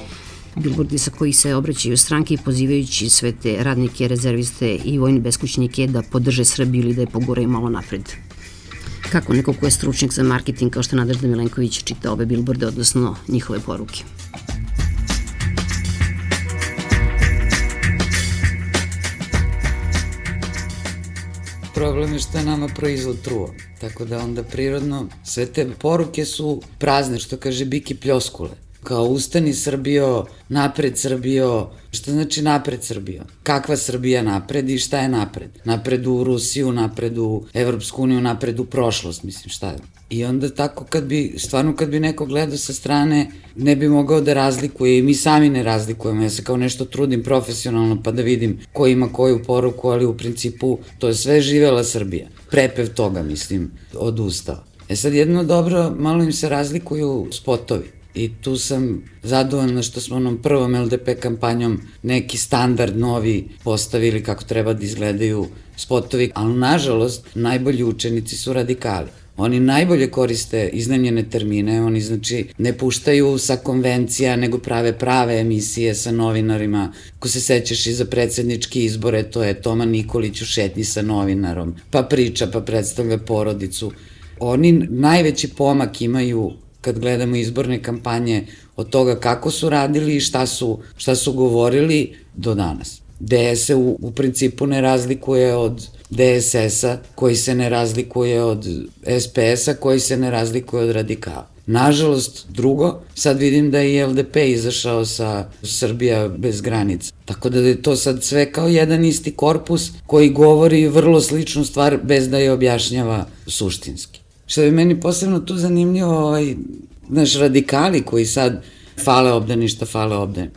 sa kojih se obraćaju stranke pozivajući sve te radnike, rezerviste i vojne beskućnike da podrže Srbiju ili da je poguraju malo napred. Kako neko ko je stručnjak za marketing kao što je Nadežda Milenković čita ove bilborde, odnosno njihove poruke? Problem je što je nama proizvod truo, tako da onda prirodno sve te poruke su prazne, što kaže Biki Pljoskule. Kao ustani Srbijo, napred Srbijo, šta znači napred Srbijo? Kakva Srbija napred i šta je napred? Napred u Rusiju, napred u Evropsku uniju, napred u prošlost, mislim šta je. I onda tako kad bi neko gledao sa strane, ne bi mogao da razlikuje i mi sami ne razlikujemo. Ja se kao nešto trudim profesionalno pa da vidim ko ima koju poruku, ali u principu to je sve živela Srbija. Prepev toga, mislim, od Ustava. Sad jedno dobro, malo im se razlikuju spotovi. I tu sam zadovoljna što smo onom prvom LDP kampanjom neki standard novi postavili kako treba da izgledaju spotovi, ali nažalost najbolji učenici su radikali. Oni najbolje koriste iznajmljene termine, oni znači ne puštaju sa konvencija, nego prave emisije sa novinarima. Ako se sećaš i za predsjednički izbore, to je Toma Nikolić u šetnji sa novinarom, pa priča, pa predstavlja porodicu. Oni najveći pomak imaju kad gledamo izborne kampanje od toga kako su radili i šta su govorili do danas. DS se u principu ne razlikuje od DSS-a, koji se ne razlikuje od SPS-a, koji se ne razlikuje od radikala. Nažalost, drugo, sad vidim da je i LDP izašao sa Srbija bez granica. Tako da je to sad sve kao jedan isti korpus koji govori vrlo sličnu stvar bez da je objašnjava suštinski. Što je meni posebno tu zanimljivo, znaš, radikali koji sad fale obdaništa.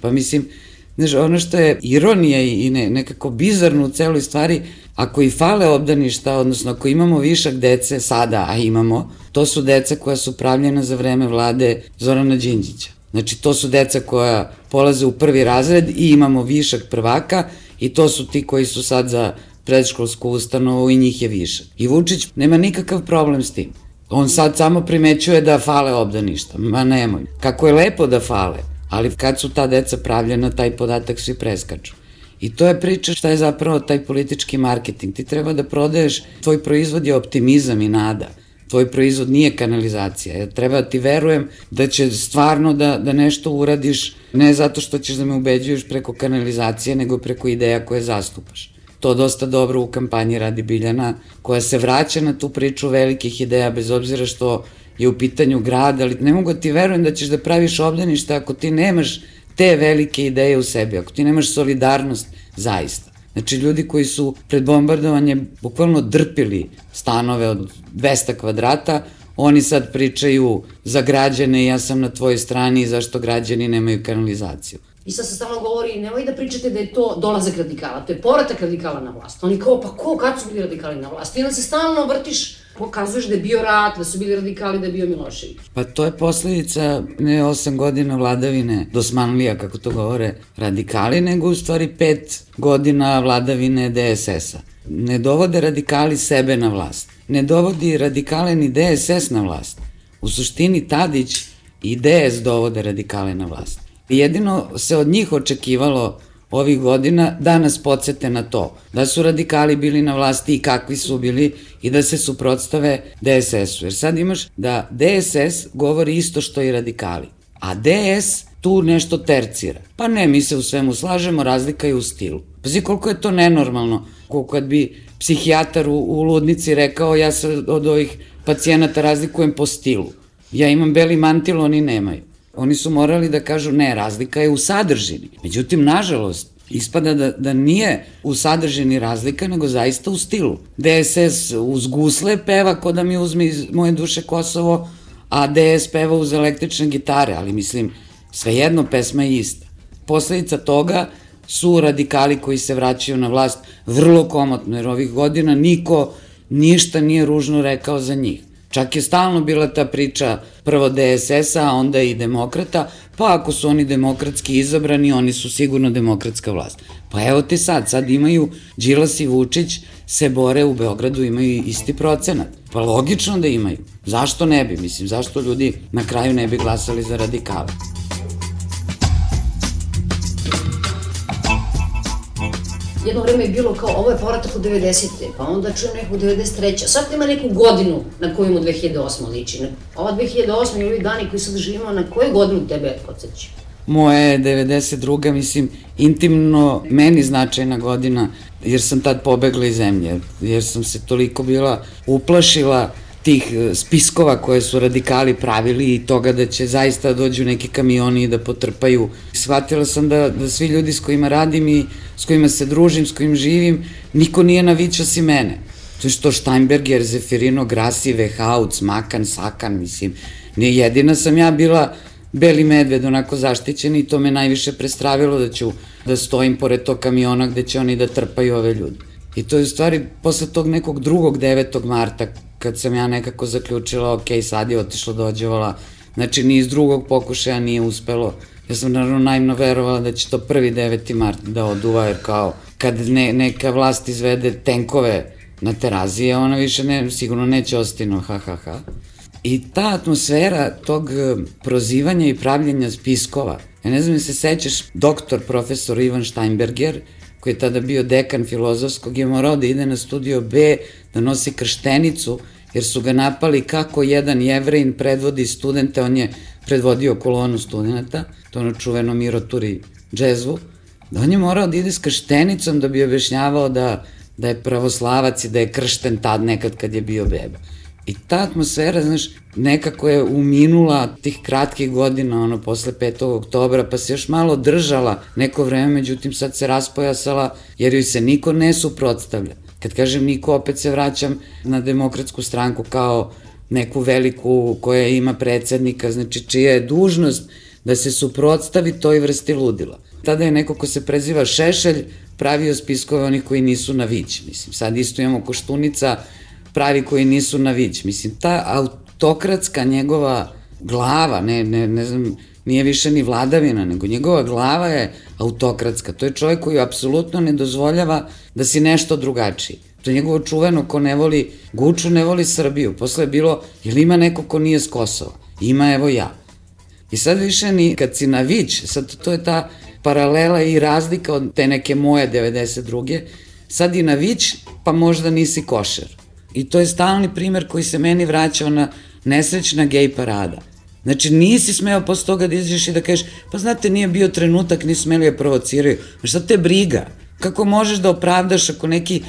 Pa mislim, znaš, ono što je ironija i nekako bizarno u celoj stvari, ako i fale obdaništa, odnosno ako imamo višak dece sada, a imamo, to su deca koja su pravljena za vreme vlade Zorana Đinđića. Znači, to su deca koja polaze u prvi razred i imamo višak prvaka i to su ti koji su sad za predškolsku ustanovu i njih je višak. I Vučić nema nikakav problem s tim. On sad samo primećuje da fale obdaništa. Ma nemoj. Kako je lepo da fale, ali kad su ta deca pravljena, taj podatak svi preskaču. I to je priča šta je zapravo taj politički marketing. Ti treba da prodaješ, tvoj proizvod je optimizam i nada. Tvoj proizvod nije kanalizacija. Ja treba da ti verujem da će stvarno da nešto uradiš, ne zato što ćeš da me ubeđuješ preko kanalizacije, nego preko ideja koje zastupaš. To dosta dobro u kampanji radi Biljana, koja se vraća na tu priču velikih ideja, bez obzira što je u pitanju grad, ali ne mogu da ti verujem da ćeš da praviš obdanište ako ti nemaš te velike ideje u sebi, ako ti nemaš solidarnost zaista. Znači, ljudi koji su pred bombardovanjem bukvalno drpili stanove od 200 kvadrata, oni sad pričaju za građane, ja sam na tvojoj strani i zašto građani nemaju kanalizaciju. I sad se stalno govori, nemoj da pričate da je to dolazak radikala, to je povratak radikala na vlast. Oni kao, pa ko, kad su bili radikali na vlast? I onda se stalno vrtiš, pokazuješ da je bio rat, da su bili radikali, da je bio Milošević. Pa to je posledica ne 8 godina vladavine dosmanlija, kako to govore radikali, nego u stvari 5 godina vladavine DSS-a. Ne dovode radikali sebe na vlast. Ne dovodi radikale ni DSS na vlast. U suštini Tadić i DS dovode radikale na vlast. Jedino se od njih očekivalo ovih godina da nas podsete na to, da su radikali bili na vlasti i kakvi su bili i da se suprotstave DSS-u. Jer sad imaš da DSS govori isto što i radikali, a DS tu nešto tercira. Pa ne, mi se u svemu slažemo, razlika je u stilu. Pazi koliko je to nenormalno, koliko kad bi psihijatar u ludnici rekao ja se od ovih pacijenata razlikujem po stilu. Ja imam beli mantil, oni nemaju. Oni su morali da kažu ne, razlika je u sadržini. Međutim, nažalost, ispada da nije u sadržini razlika, nego zaista u stilu. DSS uz gusle peva ko da mi uzme iz moje duše Kosovo, a DS peva uz električne gitare, ali mislim, svejedno pesma je ista. Posledica toga su radikali koji se vraćaju na vlast vrlo komotno, jer ovih godina niko ništa nije ružno rekao za njih. Čak je stalno bila ta priča prvo DSS-a, a onda i demokrata, pa ako su oni demokratski izabrani, oni su sigurno demokratska vlast. Pa evo ti sad imaju Đilas i Vučić se bore u Beogradu, imaju isti procenat. Pa logično da imaju. Zašto ne bi? Mislim, zašto ljudi na kraju ne bi glasali za radikale? Jedno vreme je bilo kao, ovo je povratak u 90. pa onda čujem neku 93. Sad ima neku godinu na koju mu 2008. liči. Ova 2008. i ovi dani koji sad živimo, na koju godinu tebe podsjeća? Moje je 92. mislim, intimno meni značajna godina, jer sam tad pobegla iz zemlje, jer sam se toliko bila uplašila tih spiskova koje su radikali pravili i toga da će zaista dođu neki kamioni i da potrpaju. Shvatila sam da svi ljudi s kojima radim i s kojima se družim, s kojim živim, niko nije navića si mene. To je što Steinberger, Zefirino, Grassi, Vehauc, Makan, Sakan, mislim, nije jedina sam ja bila beli medved, onako zaštićen i to me najviše prestravilo da ću da stojim pored tog kamiona gde će oni da trpaju ove ljudi. I to je u stvari posle tog nekog 9. marta, kad sam ja nekako zaključila, ok, sad je otišlo dođevala, znači ni iz drugog pokušaja nije uspelo. Ja sam naravno naivno verovala da će to 9. mart da oduva, jer kao kad neka vlast izvede tenkove na Terazije, ona više sigurno neće ostino, ha. I ta atmosfera tog prozivanja i pravljenja spiskova, ja ne znam da se sećaš, profesor Ivan Steinberger, koji je tada bio dekan filozofskog, je morao da ide na studio B, da nosi krštenicu, jer su ga napali kako jedan Jevrejin predvodi studente, on je predvodio kolonu studenta, to ono čuveno Miro Turi džezvu, da on je morao da ide s krštenicom da bi objašnjavao da je pravoslavac i da je kršten tad nekad kad je bio beba. I ta atmosfera, znaš, nekako je uminula tih kratkih godina, posle 5. oktobra, pa se još malo držala neko vreme, međutim sad se raspojasala, jer joj se niko ne suprotstavlja. Kad kažem niko, opet se vraćam na Demokratsku stranku kao neku veliku koja ima predsednika, znači čija je dužnost da se suprotstavi toj vrsti ludila. Tada je neko ko se preziva Šešelj pravio spiskove onih koji nisu na vić, mislim, sad isto imamo Koštunica, pravi koji nisu na vić. Mislim, ta autokratska njegova glava, ne znam, nije više ni vladavina, nego njegova glava je autokratska. To je čovjek koji apsolutno ne dozvoljava da si nešto drugačiji. To je njegovo čuveno, ko ne voli Guču, ne voli Srbiju. Posle je bilo, jel ima neko ko nije s Kosova? Ima, evo ja. I sad više ni kad si na Vić, sad to je ta paralela i razlika od te neke moje 92. Sad i na Vić, pa možda nisi košer. I to je stalni primer koji se meni vraćao na nesrećna gej parada. Znači, nisi smeo posle toga da izađeš i da kažeš, pa znate, nije bio trenutak, nisu smeli da provociraju. Šta te briga? Kako možeš da opravdaš ako neki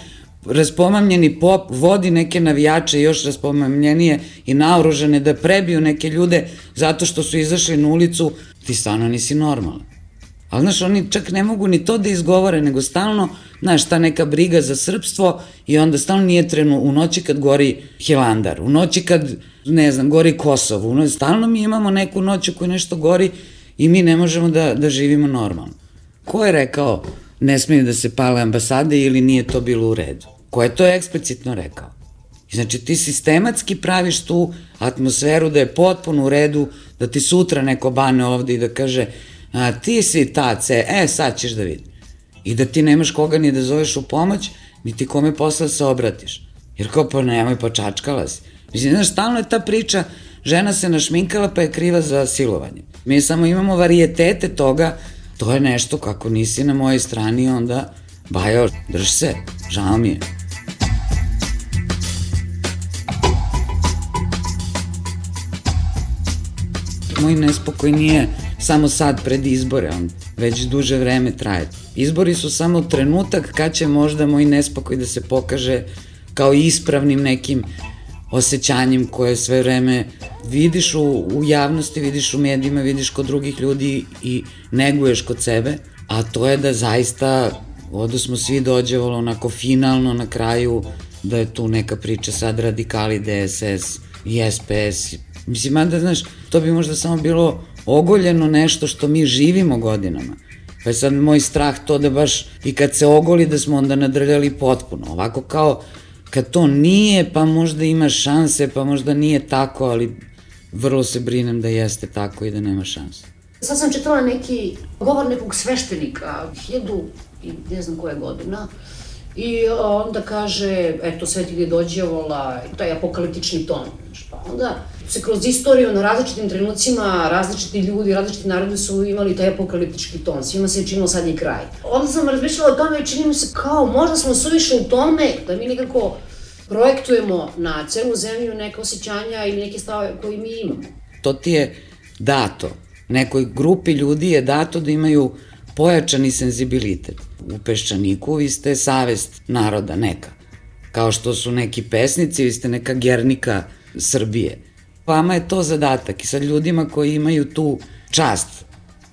raspomamljeni pop vodi neke navijače još raspomamljenije i naoružane da prebiju neke ljude zato što su izašli na ulicu, ti stvarno nisi normalan. Ali, znaš, oni čak ne mogu ni to da izgovore, nego stalno, znaš, ta neka briga za srpstvo i onda stalno nije u noći kad gori Hilandar, u noći kad, ne znam, gori Kosovo, stalno mi imamo neku noć u kojoj nešto gori i mi ne možemo da živimo normalno. Ko je rekao ne smiju da se pale ambasade ili nije to bilo u redu? Ko je to eksplicitno rekao? Znači, ti sistematski praviš tu atmosferu da je potpuno u redu, da ti sutra neko bane ovde i da kaže ti si ta sad ćeš da vidi. I da ti nemaš koga ni da zoveš u pomoć, ni ti kome posle se obratiš. Jer kao, pa nemoj, pa čačkala si. Mislim, znaš, stalno je ta priča, žena se našminkala pa je kriva za silovanje. Mi samo imamo varijetete toga, to je nešto, kako nisi na mojoj strani, onda, bajo, drž se, žao mi je. Moj nespokoj nije samo sad pred izbore, on već duže vreme traje. Izbori su samo trenutak kad će možda moj nespokoj da se pokaže kao ispravnim nekim osjećanjem koje sve vreme vidiš u javnosti, vidiš u medijima, vidiš kod drugih ljudi i neguješ kod sebe, a to je da zaista ovdje smo svi dođevali onako finalno na kraju da je tu neka priča sad radikali DSS i SPS. Mislim, mada, znaš, to bi možda samo bilo ogoljeno nešto što mi živimo godinama. Pa je sad moj strah to da baš i kad se ogoli da smo onda nadrljali potpuno. Ovako kao kad to nije, pa možda ima šanse, pa možda nije tako, ali vrlo se brinem da jeste tako i da nema šanse. Sad sam čitala neki govor nekog sveštenika, 1000 i ne znam koje godina, i onda kaže, eto, svet ide do đavola, taj apokaliptični ton. Pa onda se kroz istoriju na različitim trenucima, različiti ljudi, različiti narodi su imali taj apokaliptički ton. Svima se je činilo sad je kraj. Onda sam razmišljala o tome i čini mi se kao možda smo suviše u tome da mi nekako projektujemo na celu zemlju neke osjećanja ili neke stave koje mi imamo. To ti je dato. Nekoj grupi ljudi je dato da imaju pojačani senzibilitet. U Peščaniku vi ste savest naroda neka. Kao što su neki pesnici, vi ste neka Gernika Srbije. Vama je to zadatak i sad ljudima koji imaju tu čast,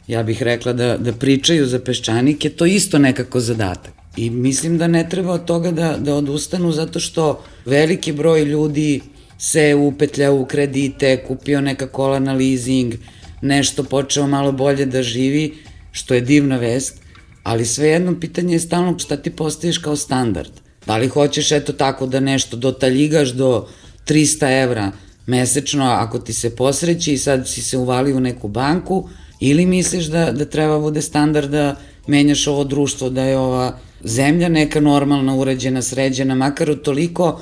ja bih rekla da pričaju za Peščanik, je to isto nekako zadatak. I mislim da ne treba od toga da odustanu zato što veliki broj ljudi se upetlja u kredite, kupio neka kola na leasing, nešto počeo malo bolje da živi, što je divna vest, ali svejedno pitanje je stalno šta ti postaviš kao standard. Da li hoćeš eto tako da nešto dotaljigaš do 300 evra mesečno ako ti se posreći i sad si se uvali u neku banku, ili misliš da treba bude standard da menjaš ovo društvo, da je ova zemlja neka normalna, uređena, sređena, makar od toliko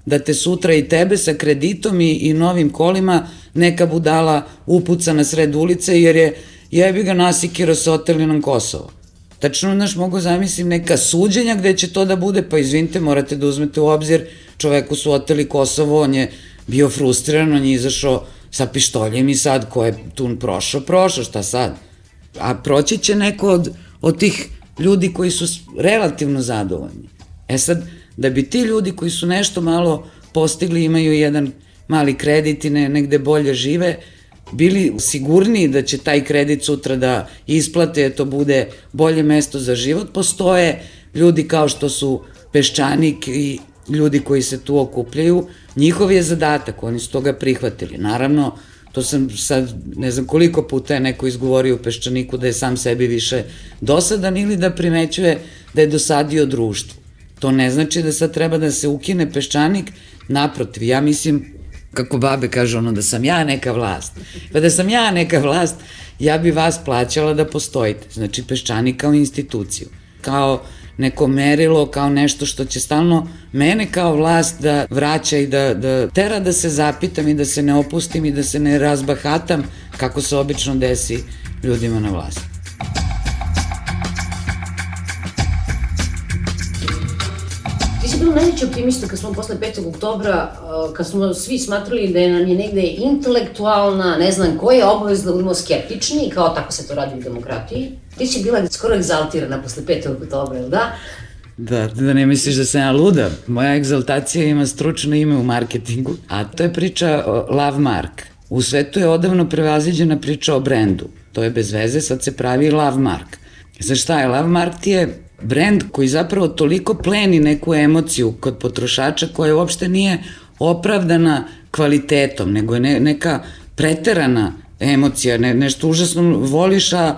da te sutra i tebe sa kreditom i novim kolima neka budala upuca na sred ulice jer je jebi ga nasikirao se oteli nam Kosovo. Tačno, znaš, mogu zamislim neka suđenja gde će to da bude, pa izvinite, morate da uzmete u obzir, čoveku su oteli Kosovo, on je bio frustriran, on je izašao sa pištoljem i sad ko je tu prošao, šta sad? A proći će neko od tih ljudi koji su relativno zadovoljni. E sad, da bi ti ljudi koji su nešto malo postigli, imaju jedan mali kredit i negde bolje žive, bili sigurniji da će taj kredit sutra da isplate, to bude bolje mesto za život, postoje ljudi kao što su Peščanik i ljudi koji se tu okupljaju, njihov je zadatak, oni su toga prihvatili. Naravno, to sam sad, ne znam koliko puta je neko izgovorio u Peščaniku da je sam sebi više dosadan ili da primećuje da je dosadio društvu. To ne znači da sad treba da se ukine Peščanik, naprotiv, ja mislim, kako babe kažu ono, da sam ja neka vlast. Pa da sam ja neka vlast, ja bi vas plaćala da postojite. Znači, Peščanik kao instituciju, kao neko merilo, kao nešto što će stalno mene kao vlast da vraća i da tera da se zapitam i da se ne opustim i da se ne razbahatam kako se obično desi ljudima na vlasti. Ti si bio najveći optimista kad smo posle 5. oktobra, kad smo svi smatrali da nam je negde intelektualna, ne znam koja obavez da budemo skeptični, kao tako se to radi u demokratiji. Ti si bila skoro egzaltirana posle 5. oktobra, ili da? Da ne misliš da sam ja luda. Moja egzaltacija ima stručno ime u marketingu, a to je priča o Love Mark. U svetu je odavno prevaziđena priča o brendu. To je bez veze, sad se pravi Love Mark. Znaš šta je? Love Mark ti je brend koji zapravo toliko pleni neku emociju kod potrošača koja uopšte nije opravdana kvalitetom, nego je neka preterana emocija, nešto užasno voliš, a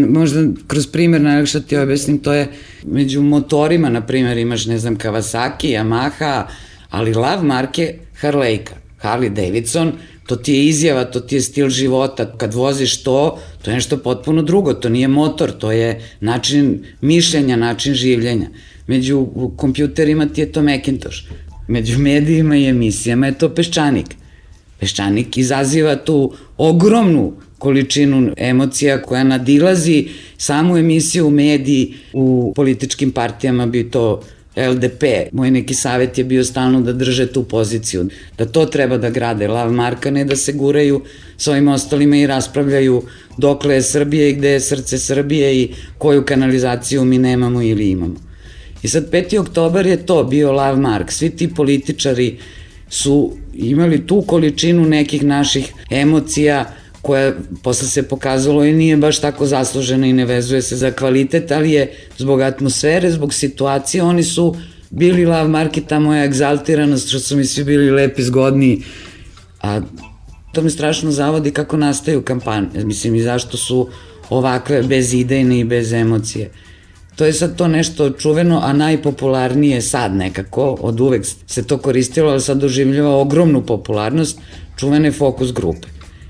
možda kroz primjer najlakše ti objasnim, to je među motorima, na primjer imaš, ne znam, Kawasaki, Yamaha, ali Love Mark je Harleyka, Harley Davidson, to ti je izjava, to ti je stil života, kad voziš to je nešto potpuno drugo, to nije motor, to je način mišljenja, način življenja. Među kompjuterima ti je to Macintosh, među medijima i emisijama je to Peščanik. Peščanik izaziva tu ogromnu količinu emocija koja nadilazi samu emisiju u mediji, u političkim partijama bi to LDP. Moj neki savjet je bio stalno da drže tu poziciju, da to treba da grade Love Marka, ne da se guraju s ovim ostalima i raspravljaju dokle je Srbije i gde je srce Srbije i koju kanalizaciju mi nemamo ili imamo. I sad 5. oktobar je to bio Love Mark. Svi ti političari su imali tu količinu nekih naših emocija koja posle se pokazalo i nije baš tako zaslužena i ne vezuje se za kvalitet, ali je zbog atmosfere, zbog situacije, oni su bili Love Mark i ta moja egzaltiranost, što su mi svi bili lepi, zgodni, a to me strašno zavodi kako nastaju kampanje, mislim i zašto su ovakve bezidejne i bez emocije. To je sad to nešto čuveno, a najpopularnije sad nekako, od uvek se to koristilo, ali sad doživljava ogromnu popularnost, čuvene fokus grupe.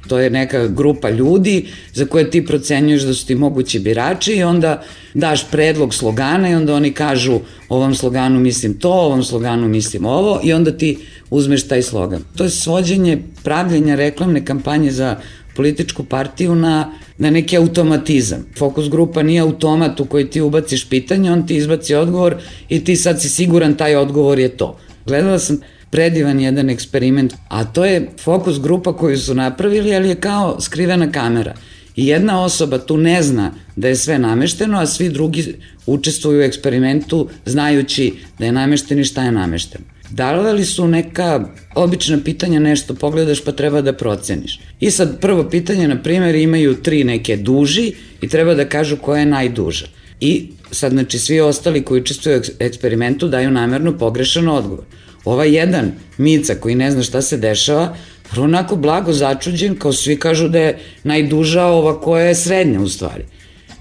To je neka grupa ljudi za koje ti procenjuješ da su ti mogući birači i onda daš predlog slogana i onda oni kažu ovom sloganu mislim to, ovom sloganu mislim ovo i onda ti uzmeš taj slogan. To je svođenje pravljenja reklamne kampanje za političku partiju na neki automatizam. Fokus grupa nije automat u koji ti ubaciš pitanje, on ti izbaci odgovor i ti sad si siguran taj odgovor je to. Gledala sam predivan jedan eksperiment, a to je fokus grupa koju su napravili, ali je kao skrivena kamera. I jedna osoba tu ne zna da je sve namešteno, a svi drugi učestvuju u eksperimentu znajući da je namešteno i šta je namešteno. Davali su neka obična pitanja, nešto pogledaš pa treba da proceniš. I sad prvo pitanje, na primjer, imaju 3 neke duži i treba da kažu koja je najduža. I sad, znači, svi ostali koji učestvuju u eksperimentu daju namerno pogrešan odgovor. Ovaj jedan Mica koji ne zna šta se dešava, prvo onako blago začuđen, kao svi kažu da je najduža ova koja je srednja u stvari.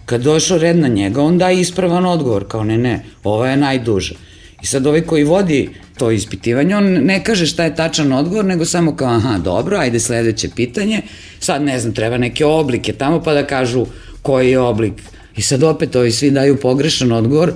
Kad došao red na njega, on daje ispravan odgovor, kao ne, ova je najduža. I sad ovaj koji vodi to ispitivanje, on ne kaže šta je tačan odgovor, nego samo kao, aha, dobro, ajde sledeće pitanje, sad ne znam, treba neke oblike tamo pa da kažu koji je oblik. I sad opet ovi svi daju pogrešan odgovor,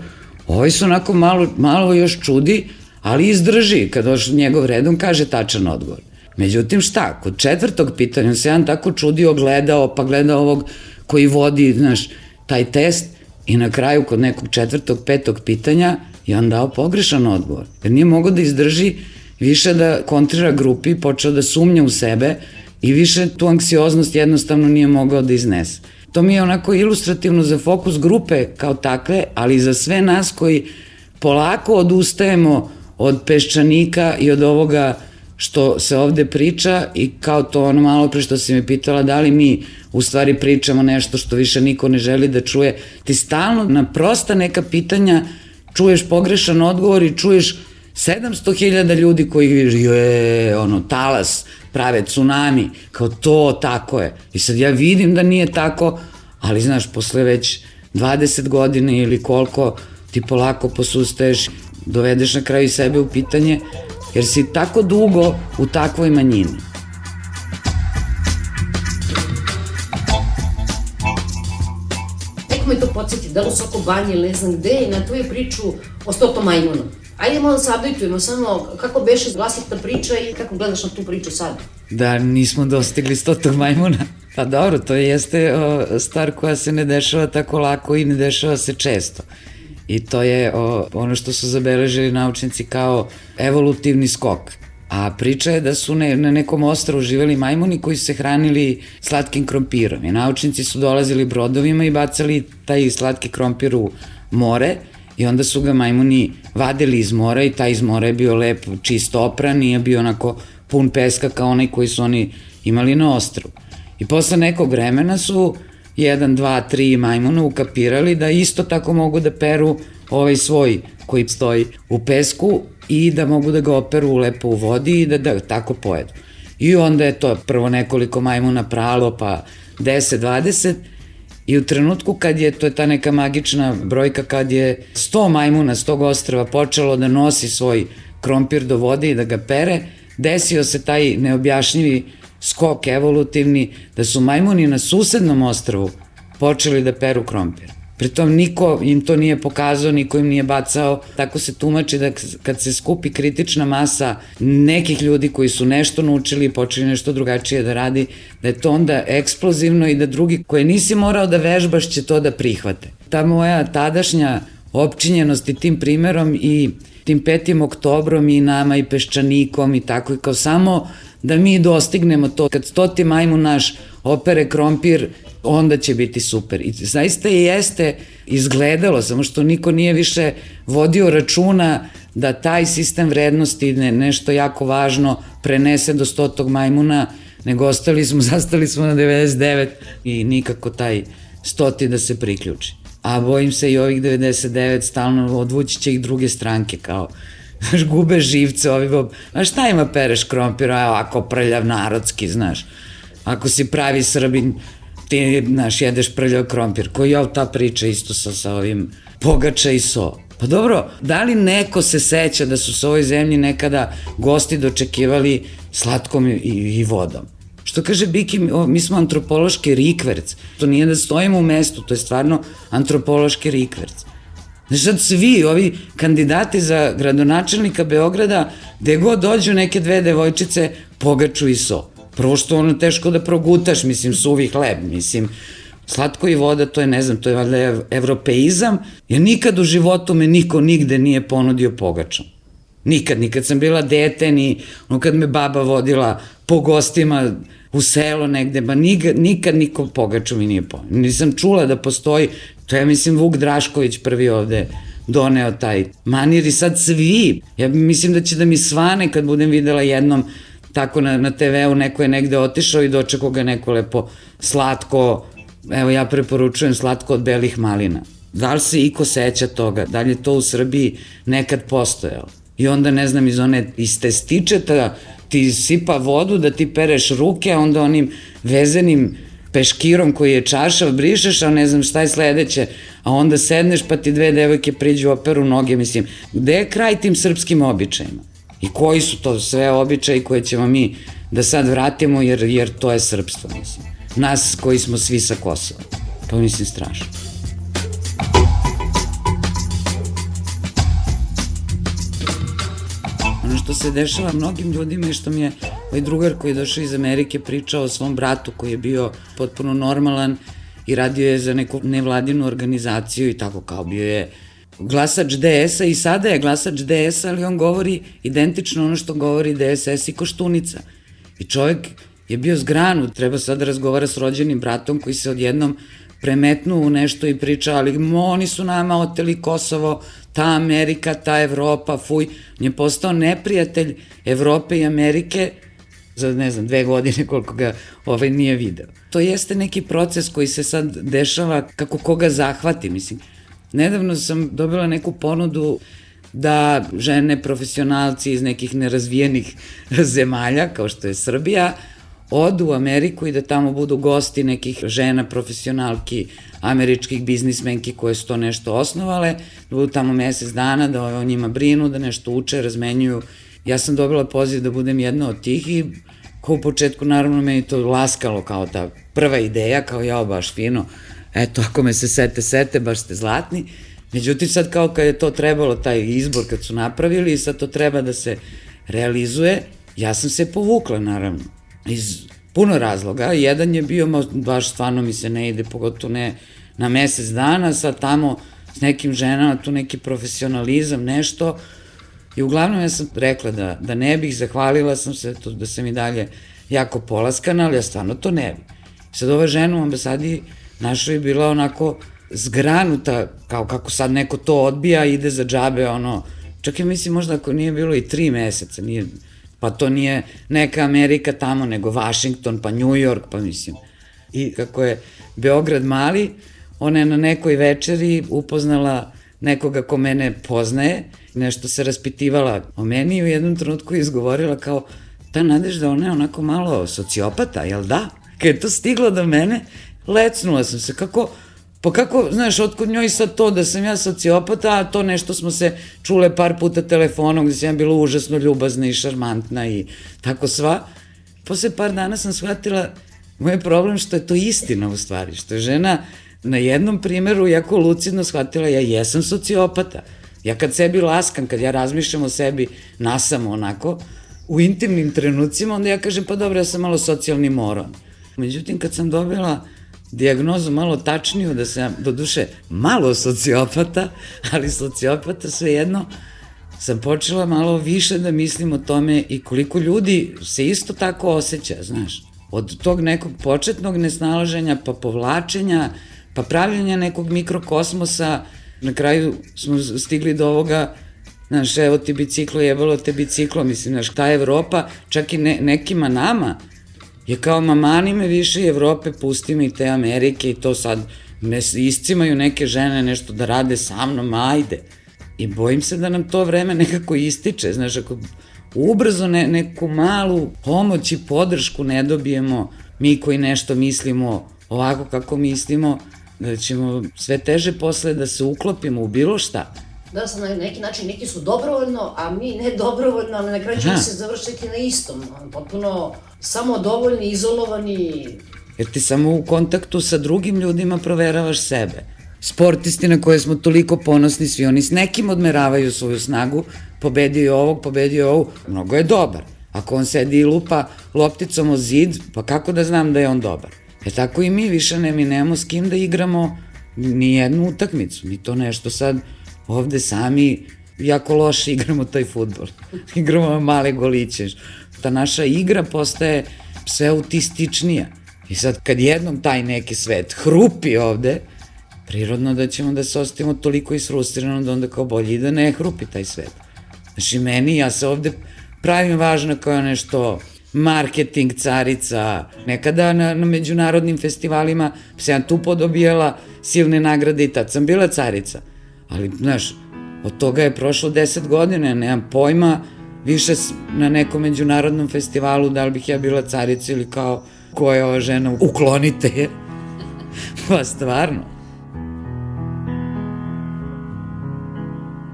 ovi su onako malo još čudi, ali izdrži, kad došao njegov red, on kaže tačan odgovor. Međutim, šta, kod 4. pitanja, on se jedan tako čudio, gledao, pa gleda ovog koji vodi, znaš, taj test i na kraju kod nekog 4., 5. pitanja je on dao pogrešan odgovor. Jer nije mogao da izdrži više da kontrira grupi, počeo da sumnja u sebe i više tu anksioznost jednostavno nije mogao da iznese. To mi je onako ilustrativno za fokus grupe kao takve, ali i za sve nas koji polako odustajemo od Peščanika i od ovoga što se ovde priča i kao to ono malo pre što si me pitala da li mi u stvari pričamo nešto što više niko ne želi da čuje. Ti stalno na prosta neka pitanja čuješ pogrešan odgovor i čuješ 700.000 ljudi koji talas, prave tsunami, kao to, tako je. I sad ja vidim da nije tako, ali znaš, posle već 20 godina ili koliko ti polako posustaješ, dovedeš na kraju sebe u pitanje, jer si tako dugo u takvoj manjini. me to podsjeti, da li u Soko Banji ili ne znam gde, i na tvoju priču o 100 majmunu. Ajde malo da se updateujemo, samo kako beše glasita priča i kako gledaš na tu priču sad? Da nismo dostigli 100 majmuna. Pa dobro, to jeste stvar koja se ne dešava tako lako i ne dešava se često. I to je ono što su zabeležili naučnici kao evolutivni skok. A priča je da su na nekom ostrvu živeli majmuni koji su se hranili slatkim krompirom. I naučnici su dolazili brodovima i bacali taj slatki krompir u more i onda su ga majmuni vadili iz mora i taj iz mora je bio lep, čist opran, nije bio onako pun peska kao onaj koji su oni imali na ostrvu. I posle nekog vremena su 1, 2, 3 majmuna ukapirali da isto tako mogu da peru ovaj svoj koji stoji u pesku i da mogu da ga operu lepo u vodi i da tako pojedu. I onda je to prvo nekoliko majmuna pralo, pa 10, 20 i u trenutku kad je, to je ta neka magična brojka, kad je 100 majmuna s tog ostrva počelo da nosi svoj krompir do vode i da ga pere, desio se taj neobjašnjivi skok evolutivni da su majmuni na susednom ostrvu počeli da peru krompir. Pritom niko im to nije pokazao, niko im nije bacao. Tako se tumači da kad se skupi kritična masa nekih ljudi koji su nešto naučili i počeli nešto drugačije da radi, da je to onda eksplozivno i da drugi koje nisi morao da vežbaš će to da prihvate. Ta moja tadašnja opčinjenost i tim primerom i tim 5. oktobrom i nama i Peščanikom i tako i kao samo da mi dostignemo to. Kad 100. majmun naš opere krompir, onda će biti super. I zaista i jeste izgledalo, samo što niko nije više vodio računa da taj sistem vrednosti nešto jako važno prenese do 100. majmuna, nego zastali smo na 99 i nikako taj 100. da se priključi. A bojim se i ovih 99 stalno odvući će ih druge stranke, kao gube živce, a šta ima pereš krompir, ako prljav narodski, znaš, ako si pravi Srbin, ti, znaš, jedeš prljav krompir, koji je ta priča isto sa ovim pogača i so. Pa dobro, da li neko se seća da su se u ovoj zemlji nekada gosti dočekivali slatkom i vodom? Što kaže Biki, mi smo antropološki rikverc, to nije da stojimo u mestu, to je stvarno antropološki rikverc. Znaš, sad svi ovi kandidati za gradonačelnika Beograda, gde god dođu neke dve devojčice, pogaču i so. Prvo što ono teško da progutaš, mislim, suvi hleb, mislim, slatko i voda, to je, ne znam, to je valjda evropeizam, jer nikad u životu me niko nigde nije ponudio pogačom. Nikad sam bila dete, ni kad me baba vodila po gostima u selo negde, ba nikad niko pogaču mi nije ponudio. Nisam čula da postoji, to je, mislim, Vuk Drašković prvi ovde doneo taj manir i sad svi, ja mislim da će da mi svane kad budem videla jednom tako na TV-u, neko je negde otišao i dočekao ga neko lepo slatko, evo ja preporučujem slatko od belih malina. Da li se iko seća toga? Da li je to u Srbiji nekad postojalo? I onda, ne znam, iz testičeta ti sipa vodu da ti pereš ruke, a onda onim vezenim peškirom koji je čašav brišeš, a ne znam šta je sledeće, a onda sedneš pa ti dve devojke priđu operu noge, mislim, gde je kraj tim srpskim običajima? I koji su to sve običaji koje ćemo mi da sad vratimo, jer to je srpstvo, mislim. Nas koji smo svi sa Kosova. To mislim strašno. Ono što se dešava mnogim ljudima je što mi je ovaj drugar koji je došao iz Amerike pričao o svom bratu koji je bio potpuno normalan i radio je za neku nevladinu organizaciju i tako kao bio je glasač DS-a i sada je glasač DS-a, ali on govori identično ono što govori DSS i Koštunica. I čovjek je bio zgranut, treba sad da razgovara s rođenim bratom koji se odjednom premetnuo u nešto i priča, ali oni su nama oteli Kosovo, ta Amerika, ta Evropa, fuj. On je postao neprijatelj Evrope i Amerike za, ne znam, 2 godine koliko ga nije video. To jeste neki proces koji se sad dešava kako koga zahvati, mislim. Nedavno sam dobila neku ponudu da žene profesionalci iz nekih nerazvijenih zemalja, kao što je Srbija, odu u Ameriku i da tamo budu gosti nekih žena profesionalki, američkih biznismenki koje su to nešto osnovale, da budu tamo mesec dana, da o njima brinu, da nešto uče, razmenjuju. Ja sam dobila poziv da budem jedna od tih i kao u početku naravno meni to laskalo kao ta prva ideja, kao ja baš fino, eto, ako me se sete, baš ste zlatni. Međutim, sad kao kad je to trebalo, taj izbor kad su napravili i sad to treba da se realizuje, ja sam se povukla, naravno, iz puno razloga. Jedan je bio, baš stvarno mi se ne ide, pogotovo ne na mesec dana, sad tamo s nekim ženama, tu neki profesionalizam, nešto. I uglavnom ja sam rekla da ne bih, zahvalila sam se da sam i dalje jako polaskana, ali ja stvarno to ne bih. Sad ova žena u ambasadi našoj je bila onako zgranuta, kao kako sad neko to odbija, ide za džabe, ono, čak ja mislim možda ako nije bilo i 3 meseca, pa to nije neka Amerika tamo, nego Washington, pa New York, pa mislim. I kako je Beograd mali, ona je na nekoj večeri upoznala nekoga ko mene poznaje, nešto se raspitivala o meni i u jednom trenutku izgovorila kao, ta Nadežda, ona je onako malo sociopata, jel da? Kad je to stiglo do mene, lecnula sam se, kako, znaš, otkud njoj sad to da sam ja sociopata, a to nešto smo se čule par puta telefonom gde sam ja bila užasno ljubazna i šarmantna i tako sva. Posle par dana sam shvatila, moj problem što je to istina u stvari, što je žena na jednom primeru jako lucidno shvatila, ja jesam sociopata. Ja kad sebi laskam, kad ja razmišljam o sebi nasamo onako, u intimnim trenucima, onda ja kažem, pa dobro, ja sam malo socijalni moron. Međutim, kad sam dobila dijagnozu malo tačniju, da sam, do duše, malo sociopata, ali sociopata svejedno, sam počela malo više da mislim o tome i koliko ljudi se isto tako osjeća, znaš. Od tog nekog početnog nesnalaženja, pa povlačenja, pa pravljenja nekog mikrokosmosa, na kraju smo stigli do ovoga, znaš, evo ti biciklo, jebalo te biciklo, mislim, znaš, ta Evropa, čak i nekima nama, je kao mamani me više Evrope, pusti me i te Amerike i to sad me iscimaju neke žene nešto da rade sa mnom, ajde. I bojim se da nam to vreme nekako ističe, znaš, ako ubrzo neku malu pomoć i podršku ne dobijemo, mi koji nešto mislimo ovako kako mislimo, da ćemo sve teže posle da se uklopimo u bilo šta. Da, sad na neki način neki su dobrovoljno, a mi ne dobrovoljno, ali na kraju ćemo se završiti na istom. Potpuno samodovoljni, izolovani. Jer ti samo u kontaktu sa drugim ljudima proveravaš sebe. Sportisti na koje smo toliko ponosni, svi oni s nekim odmeravaju svoju snagu, pobedio je ovog, pobedio je ovog, mnogo je dobar. Ako on sedi i lupa lopticom o zid, pa kako da znam da je on dobar? Tako i mi više mi nemamo s kim da igramo ni jednu utakmicu, ni to nešto sad ovde sami jako loše igramo taj fudbal. Igramo male goliće. Ta naša igra postaje sve autističnija. I sad kad jednom taj neki svet hrupi ovde, prirodno da ćemo da se ostavimo toliko isfrustrirano da onda kao bolje i da ne hrupi taj svet. Znači meni, ja se ovde pravim važno kao nešto marketing, carica. Nekada na međunarodnim festivalima sam ja tu podobijala silne nagrade i tad sam bila carica. Ali, znaš, od toga je prošlo 10 godina, nemam pojma više na nekom međunarodnom festivalu da li bih ja bila carica ili kao ko je ova žena, uklonite je. Pa stvarno.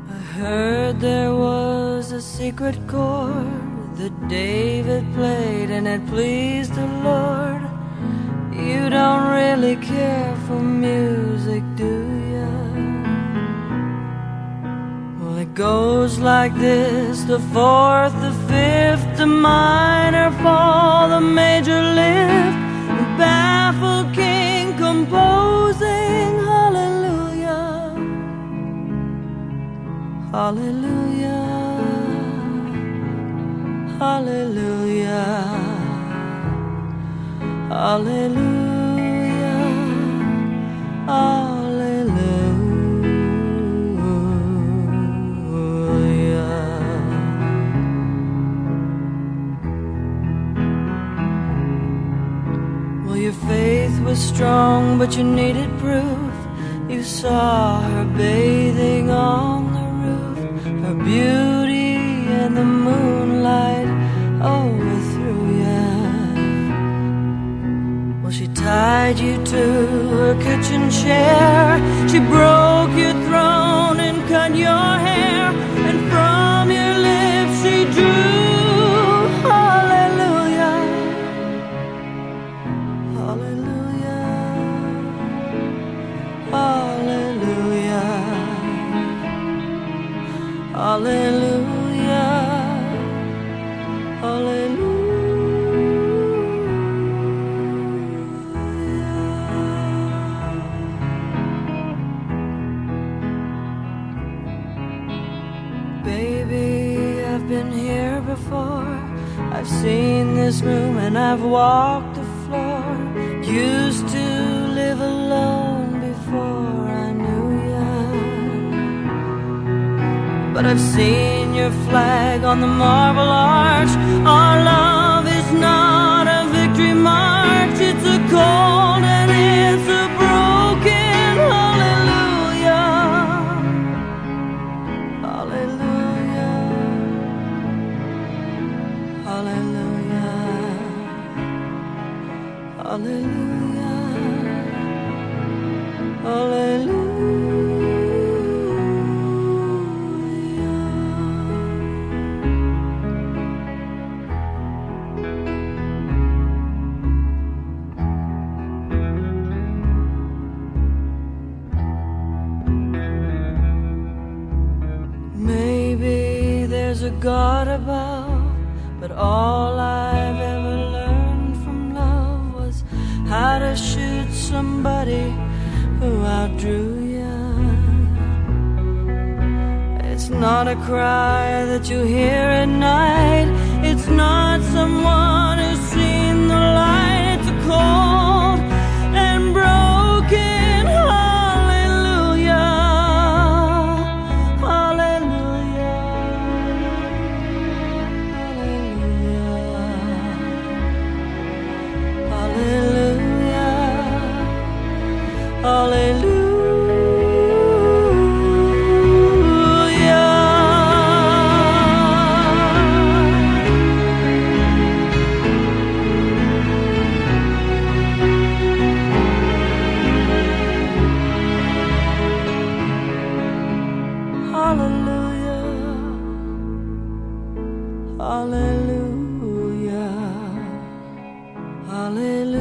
I heard there was a secret chord that David played and it pleased the Lord. You don't really care for music, do you? Well, it goes like this: the fourth, the fifth, the minor fall, the major lift, the baffled king composing hallelujah, hallelujah, hallelujah, hallelujah, hallelujah. Well, your faith was strong, but you needed proof. You saw her bathing on the roof, her beauty and the moonlight overthrew you. Well, she tied you to her kitchen chair, she broke your throne and cut your hair, and from your lips she drew hallelujah, hallelujah, before. I've seen this room and I've walked the floor. Used to live alone before I knew ya. But I've seen your flag on the marble arch. Our love is not a victory march. It's a cold and it's a broken hallelujah. Hallelujah. Hallelujah. Hallelujah. Hallelujah. Maybe there's a God above, but all I've ever learned from love was how to shoot somebody who outdrew ya. It's not a cry that you hear at night. It's not someone who's seen the light. It's a cold and broken hallelujah. Hallelujah. Hallelujah. Hallelujah.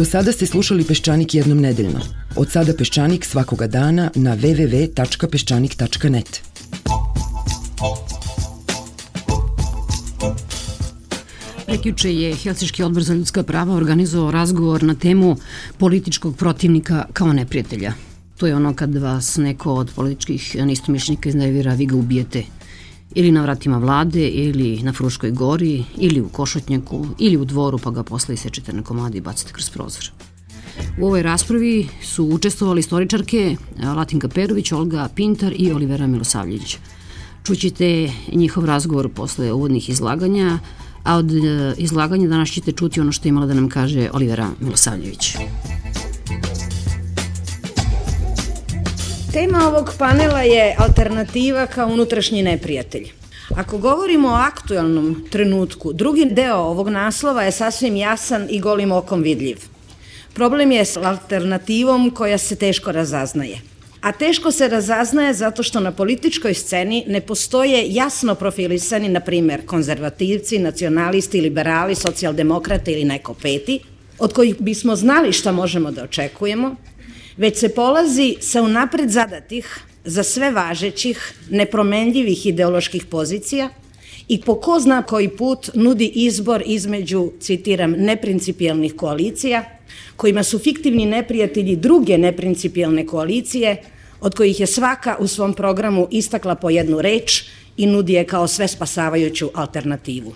Do sada ste slušali Peščanik jednom nedeljno. Od sada Peščanik svakoga dana na www.peščanik.net. Prekjuče je Helsinški odbor za ljudska prava organizovao razgovor na temu političkog protivnika kao neprijatelja. To je ono kad vas neko od političkih neistomišljenika iznevjera, vi ga ubijete. Ili na vratima vlade, ili na Fruškoj gori, ili u Košutnjaku, ili u Dvoru, pa ga posle isečete na komadi i bacite kroz prozor. U ovoj raspravi su učestvovali istoričarke Latinka Perović, Olga Pintar i Olivera Milosavljević. Čućete njihov razgovor posle uvodnih izlaganja, a od izlaganja danas ćete čuti ono što je imala da nam kaže Olivera Milosavljević. Tema ovog panela je alternativa kao unutrašnji neprijatelj. Ako govorimo o aktuelnom trenutku, drugi deo ovog naslova je sasvim jasan i golim okom vidljiv. Problem je s alternativom koja se teško razaznaje. A teško se razaznaje zato što na političkoj sceni ne postoje jasno profilisani, na primer, konzervativci, nacionalisti, liberali, socijaldemokrate ili neko peti, od kojih bismo znali šta možemo da očekujemo, već se polazi sa unapred zadatih, za sve važećih, nepromenljivih ideoloških pozicija i po ko zna koji put nudi izbor između, citiram, neprincipijelnih koalicija, kojima su fiktivni neprijatelji druge neprincipijelne koalicije, od kojih je svaka u svom programu istakla po jednu reč i nudi je kao sve spasavajuću alternativu.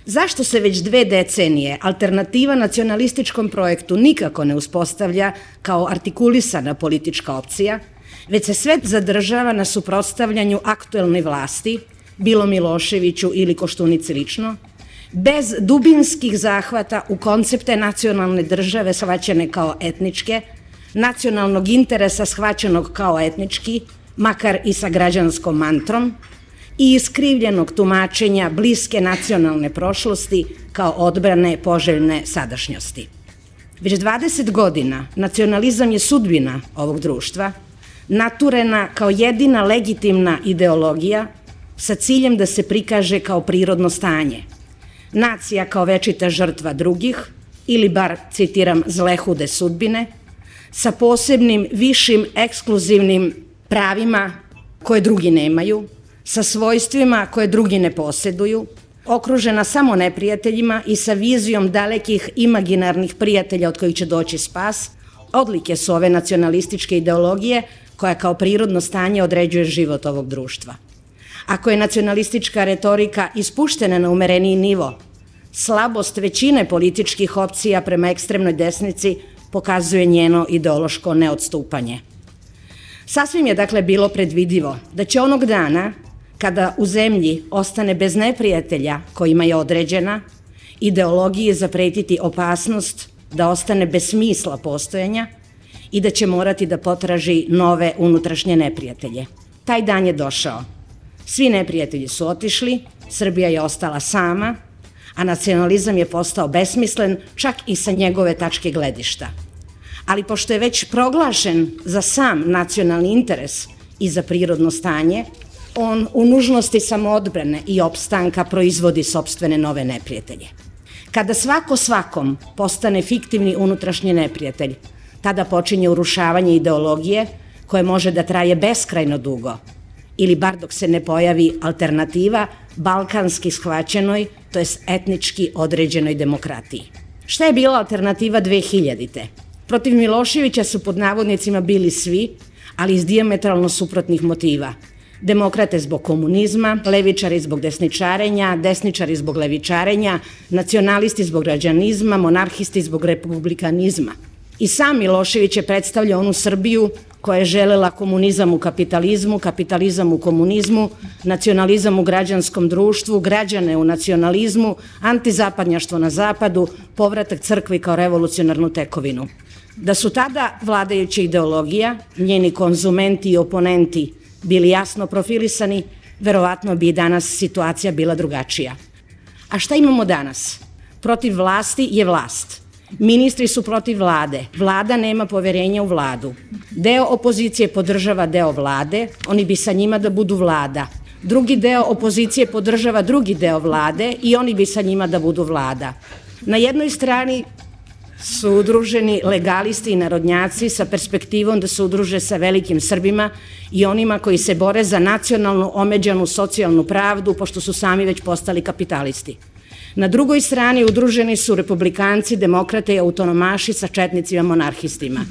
Zašto se već 2 decenije alternativa nacionalističkom projektu nikako ne uspostavlja kao artikulisana politička opcija, već se sve zadržava na suprotstavljanju aktuelnoj vlasti, bilo Miloševiću ili Koštunici lično, bez dubinskih zahvata u koncepte nacionalne države shvaćene kao etničke, nacionalnog interesa shvaćenog kao etnički, makar i sa građanskom mantrom, i iskrivljenog tumačenja bliske nacionalne prošlosti kao odbrane poželjne sadašnjosti. Već 20 godina nacionalizam je sudbina ovog društva, naturena kao jedina legitimna ideologija sa ciljem da se prikaže kao prirodno stanje. Nacija kao večita žrtva drugih, ili bar, citiram, zlehude sudbine, sa posebnim, višim, ekskluzivnim pravima koje drugi nemaju, sa svojstvima koje drugi ne poseduju, okružena samo neprijateljima i sa vizijom dalekih imaginarnih prijatelja od kojih će doći spas, odlike su ove nacionalističke ideologije koja kao prirodno stanje određuje život ovog društva. Ako je nacionalistička retorika ispuštena na umereniji nivo, slabost većine političkih opcija prema ekstremnoj desnici pokazuje njeno ideološko neodstupanje. Sasvim je dakle bilo predvidivo da će onog dana, kada u zemlji ostane bez neprijatelja kojima je određena, ideologiji zapretiti opasnost da ostane bez smisla postojanja i da će morati da potraži nove unutrašnje neprijatelje. Taj dan je došao. Svi neprijatelji su otišli, Srbija je ostala sama, a nacionalizam je postao besmislen čak i sa njegove tačke gledišta. Ali pošto je već proglašen za sam nacionalni interes i za prirodno stanje, on u nužnosti samoodbrane i opstanka proizvodi sopstvene nove neprijatelje. Kada svako svakom postane fiktivni unutrašnji neprijatelj, tada počinje urušavanje ideologije koje može da traje beskrajno dugo, ili bar dok se ne pojavi alternativa balkanski shvaćenoj, to jest etnički određenoj demokratiji. Šta je bila alternativa 2000-te? Protiv Miloševića su pod navodnicima bili svi, ali iz dijametralno suprotnih motiva. Demokrate zbog komunizma, levičari zbog desničarenja, desničari zbog levičarenja, nacionalisti zbog građanizma, monarhisti zbog republikanizma. I sam Milošević je predstavljao onu Srbiju koja je želela komunizam u kapitalizmu, kapitalizam u komunizmu, nacionalizam u građanskom društvu, građane u nacionalizmu, antizapadnjaštvo na zapadu, povratak crkvi kao revolucionarnu tekovinu. Da su tada vladajuća ideologija, njeni konzumenti i oponenti bili jasno profilisani, verovatno bi i danas situacija bila drugačija. A šta imamo danas? Protiv vlasti je vlast. Ministri su protiv vlade. Vlada nema poverenja u vladu. Deo opozicije podržava deo vlade, oni bi sa njima da budu vlada. Drugi deo opozicije podržava drugi deo vlade i oni bi sa njima da budu vlada. Na jednoj strani su udruženi legalisti i narodnjaci sa perspektivom da se udruže sa velikim Srbima i onima koji se bore za nacionalnu omeđanu socijalnu pravdu, pošto su sami već postali kapitalisti. Na drugoj strani udruženi su republikanci, demokrate i autonomaši sa četnicima monarhistima.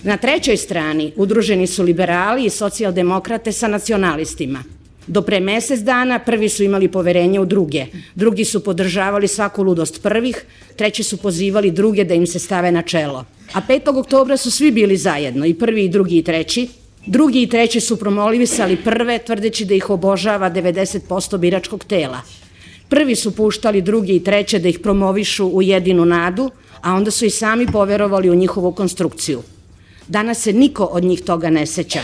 Na trećoj strani udruženi su liberali i socijaldemokrate sa nacionalistima. Do pre mesec dana prvi su imali poverenje u druge, drugi su podržavali svaku ludost prvih, treći su pozivali druge da im se stave na čelo. A 5. oktobra su svi bili zajedno, i prvi, i drugi, i treći. Drugi i treći su promovisali prve, tvrdeći da ih obožava 90% biračkog tela. Prvi su puštali drugi i treće da ih promovišu u jedinu nadu, a onda su i sami poverovali u njihovu konstrukciju. Danas se niko od njih toga ne seća.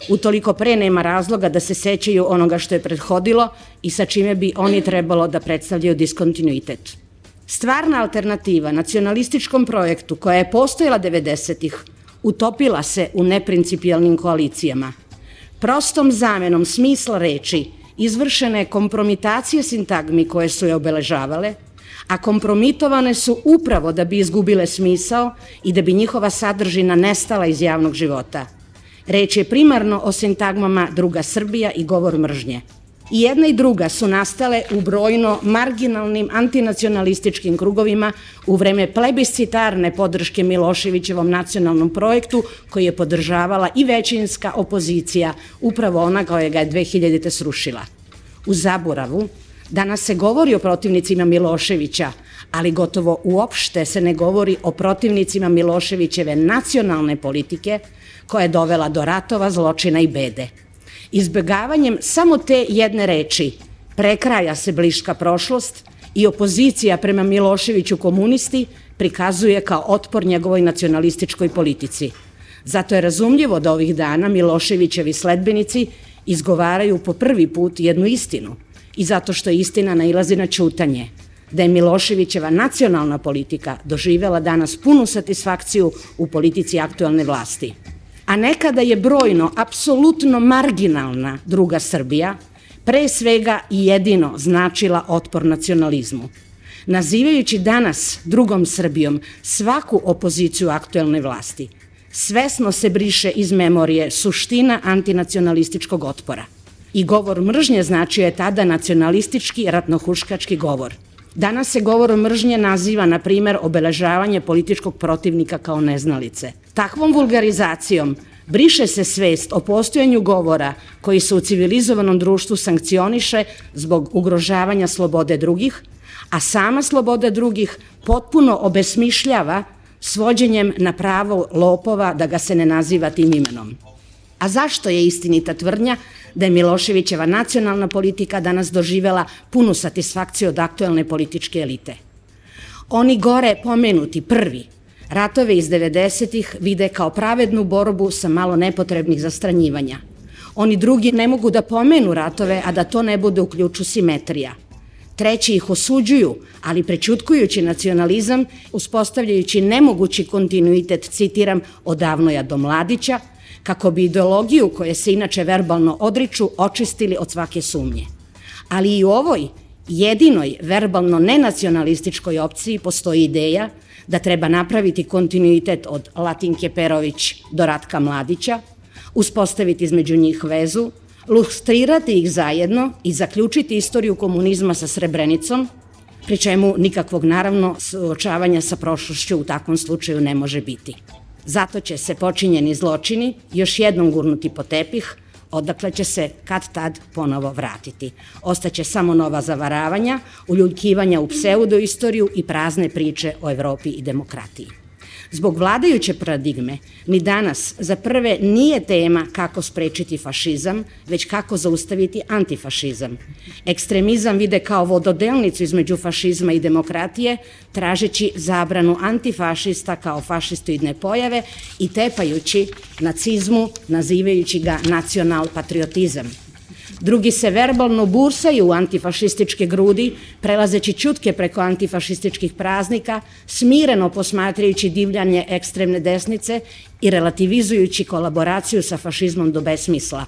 Utoliko pre nema razloga da se sećaju onoga što je prethodilo i sa čime bi oni trebalo da predstavljaju diskontinuitet. Stvarna alternativa nacionalističkom projektu koja je postojala 90-ih utopila se u neprincipijalnim koalicijama. Prostom zamenom smisla reči izvršena je kompromitacija sintagmi koje su je obeležavale, a kompromitovane su upravo da bi izgubile smisao i da bi njihova sadržina nestala iz javnog života. Reč je primarno o sintagmama druga Srbija i govor mržnje. I jedna i druga su nastale u brojno marginalnim antinacionalističkim krugovima u vreme plebiscitarne podrške Miloševićevom nacionalnom projektu koji je podržavala i većinska opozicija, upravo ona koja ga je 2000. srušila. U zaboravu danas se govori o protivnicima Miloševića, ali gotovo uopšte se ne govori o protivnicima Miloševićeve nacionalne politike koja je dovela do ratova, zločina i bede. Izbegavanjem samo te jedne reči prekraja se bliska prošlost i opozicija prema Miloševiću komunisti prikazuje kao otpor njegovoj nacionalističkoj politici. Zato je razumljivo da ovih dana Miloševićevi sledbenici izgovaraju po prvi put jednu istinu i zato što istina nailazi na ćutanje. da je Miloševićeva nacionalna politika doživela danas punu satisfakciju u politici aktuelne vlasti. A nekada je brojno, apsolutno marginalna druga Srbija, pre svega i jedino značila otpor nacionalizmu. Nazivajući danas drugom Srbijom svaku opoziciju aktuelne vlasti, svesno se briše iz memorije suština antinacionalističkog otpora. I govor mržnje značio je tada nacionalistički ratnohuškački govor. Danas se govorom mržnje naziva, na primer, obeležavanje političkog protivnika kao neznalice. Takvom vulgarizacijom briše se svest o postojanju govora koji se u civilizovanom društvu sankcioniše zbog ugrožavanja slobode drugih, a sama sloboda drugih potpuno obesmišljava svođenjem na pravo lopova da ga se ne naziva tim imenom. A zašto je istinita tvrdnja da je Miloševićeva nacionalna politika danas doživela punu satisfakciju od aktuelne političke elite? Oni gore pomenuti prvi ratove iz 90-ih vide kao pravednu borbu sa malo nepotrebnih zastranjivanja. Oni drugi ne mogu da pomenu ratove, a da to ne bude u ključu simetrija. Treći ih osuđuju, ali prećutkujući nacionalizam, uspostavljajući nemogući kontinuitet, citiram, od Avnoja do Mladića, kako bi ideologiju koje se inače verbalno odriču očistili od svake sumnje. Ali i u ovoj jedinoj verbalno nenacionalističkoj opciji postoji ideja da treba napraviti kontinuitet od Latinke Perović do Ratka Mladića, uspostaviti između njih vezu, lustrirati ih zajedno i zaključiti istoriju komunizma sa Srebrenicom, pri čemu nikakvog, naravno, suočavanja sa prošlošću u takvom slučaju ne može biti. Zato će se počinjeni zločini još jednom gurnuti po tepih, odakle će se kad tad ponovo vratiti. Ostaće samo nova zavaravanja, uljuljkivanja u pseudoistoriju i prazne priče o Evropi i demokratiji. Zbog vladajuće paradigme, ni danas za prve nije tema kako sprečiti fašizam, već kako zaustaviti antifašizam. Ekstremizam vide kao vododelnicu između fašizma i demokratije, tražeći zabranu antifašista kao fašistoidne pojave i tepajući nacizmu, nazivajući ga nacional-patriotizam. Drugi se verbalno bursaju u antifašističke grudi, prelazeći ćutke preko antifašističkih praznika, smireno posmatrajući divljanje ekstremne desnice i relativizujući kolaboraciju sa fašizmom do besmisla.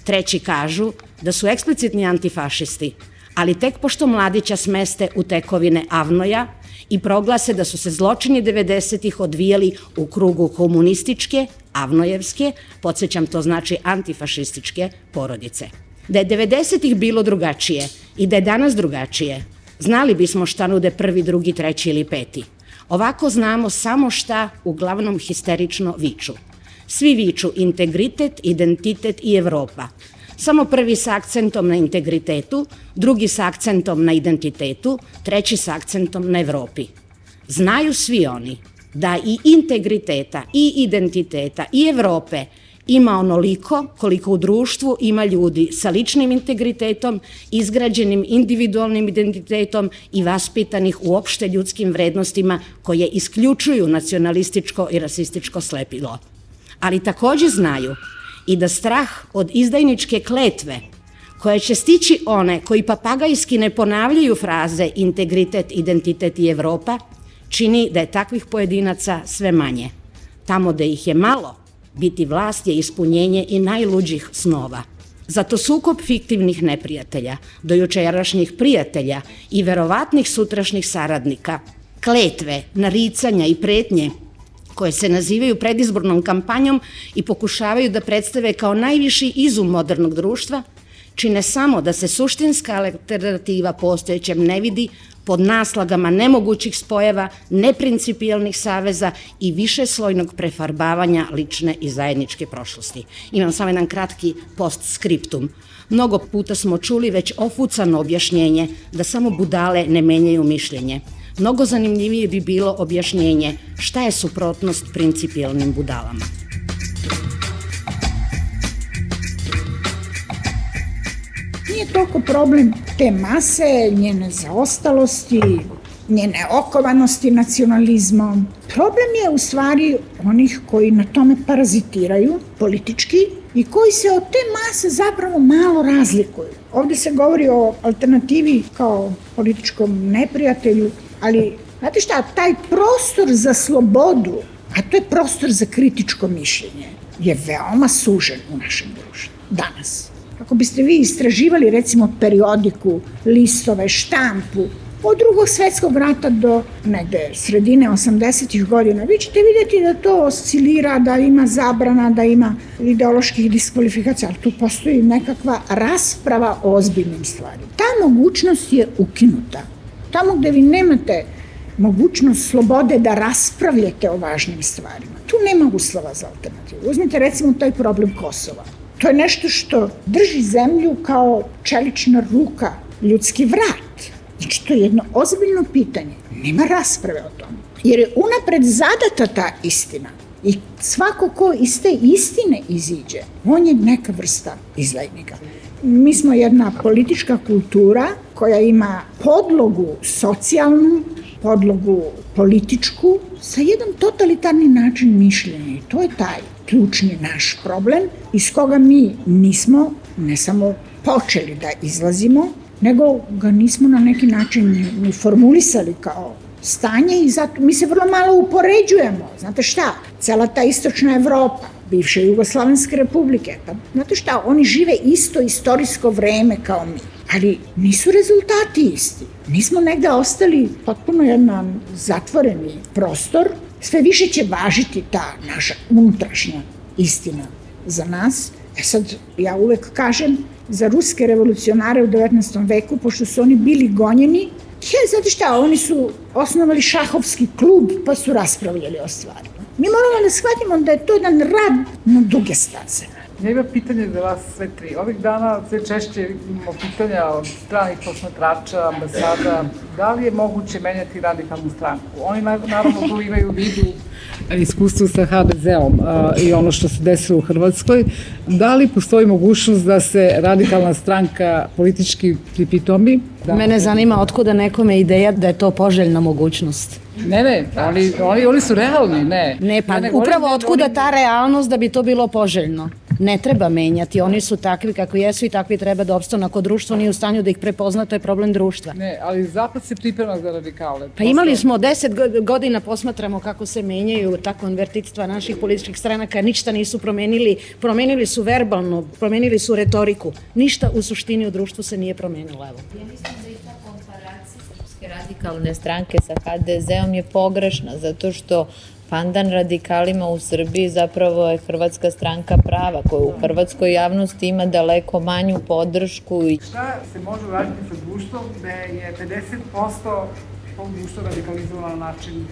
Treći kažu da su eksplicitni antifašisti, ali tek pošto Mladića smeste u tekovine Avnoja i proglase da su se zločini 90-ih odvijali u krugu komunističke, avnojevske, podsjećam to znači antifašističke porodice. Da je 90-ih bilo drugačije i da je danas drugačije, znali bismo šta nude prvi, drugi, treći ili peti. Ovako znamo samo šta uglavnom histerično viču. Svi viču integritet, identitet i Evropa. Samo prvi sa akcentom na integritetu, drugi sa akcentom na identitetu, treći sa akcentom na Evropi. Znaju svi oni da i integriteta, i identiteta, i Evrope ima onoliko koliko u društvu ima ljudi sa ličnim integritetom, izgrađenim individualnim identitetom i vaspitanih uopšte ljudskim vrednostima koje isključuju nacionalističko i rasističko slepilo. Ali takođe znaju i da strah od izdajničke kletve koje će stići one koji papagajski ne ponavljaju fraze integritet, identitet i Evropa, čini da je takvih pojedinaca sve manje. Tamo da ih je malo, biti vlast je ispunjenje i najluđih snova. Zato sukob fiktivnih neprijatelja, dojučerašnjih prijatelja i verovatnih sutrašnjih saradnika, kletve, naricanja i pretnje koje se nazivaju predizbornom kampanjom i pokušavaju da predstave kao najviši izum modernog društva, čine samo da se suštinska alternativa postojećem ne vidi pod naslagama nemogućih spojeva, neprincipijalnih saveza i višeslojnog prefarbavanja lične i zajedničke prošlosti. Imam samo jedan kratki postskriptum. Mnogo puta smo čuli već ofucano objašnjenje da samo budale ne menjaju mišljenje. Mnogo zanimljivije bi bilo objašnjenje šta je suprotnost principijalnim budalama. Nije toliko problem te mase, njene zaostalosti, njene okovanosti nacionalizmom. Problem je u stvari onih koji na tome parazitiraju politički i koji se od te mase zapravo malo razlikuju. Ovde se govori o alternativi kao političkom neprijatelju, ali znate šta, taj prostor za slobodu, a to je prostor za kritičko mišljenje, je veoma sužen u našem društvu danas. Ako biste vi istraživali recimo periodiku, listove, štampu, od Drugog svetskog rata do negde sredine 80-ih godina, vi ćete vidjeti da to oscilira, da ima zabrana, da ima ideoloških diskvalifikacija, ali tu postoji nekakva rasprava o ozbiljnim stvarima. Ta mogućnost je ukinuta. Tamo gde vi nemate mogućnost slobode da raspravljate o važnim stvarima, tu nema uslova za alternativu. Uzmite recimo taj problem Kosova. To je nešto što drži zemlju kao čelična ruka, ljudski vrat. Znači, to je jedno ozbiljno pitanje. Nema rasprave o tome. Jer je unapred zadata ta istina. I svako ko iz te istine iziđe, on je neka vrsta izdajnika. Mi smo jedna politička kultura koja ima podlogu socijalnu, podlogu političku, sa jedan totalitarni način mišljenja. I to je taj ključni naš problem iz koga mi nismo ne samo počeli da izlazimo, nego ga nismo na neki način ni formulisali kao stanje i zato mi se vrlo malo upoređujemo. Znate šta, cela ta istočna Evropa, bivše Jugoslavenske republike, pa znate šta, oni žive isto istorijsko vreme kao mi, ali nisu rezultati isti. Mi smo negde ostali potpuno jedan zatvoreni prostor, sve više će važiti ta naša unutrašnja istina za nas. Sad, ja uvek kažem, za ruske revolucionare u 19. veku, pošto su oni bili gonjeni, znate šta, oni su osnovali šahovski klub pa su raspravljali o stvarima. Mi moramo da shvatimo da je to jedan rad na duge staze. Ja imam pitanje za vas sve tri. Ovih dana sve češće imamo pitanja od stranih posmatrača, ambasada. Da li je moguće menjati radikalnu stranku? Oni naravno tu imaju u vidu iskustvo sa HDZ-om i ono što se desilo u Hrvatskoj. Da li postoji mogućnost da se radikalna stranka politički pripitomi? Mene zanima otkuda nekome ideja da je to poželjna mogućnost. Ne, oni su realni, ne. Ne, pa upravo otkuda ta realnost da bi to bilo poželjno. Ne treba menjati, oni su takvi kako jesu i takvi treba da opstanu. Ako društvo nije u stanju da ih prepozna, to je problem društva. Ne, ali Zapad se priprema za radikale. Pa imali smo 10 godina, posmatramo kako se menjaju ta konvertitstva naših političkih stranaka, ništa nisu promenili su verbalno, promenili su retoriku. Ništa u suštini u društvu se nije promenilo. Evo. Ja mislim da i ta komparacija Srpske radikalne stranke sa HDZ-om je pogrešna, zato što pandan radikalima u Srbiji zapravo je Hrvatska stranka prava, koja u hrvatskoj javnosti ima daleko manju podršku. Šta se može uraditi sa društvom da je 50% tog društva radikalizovano na način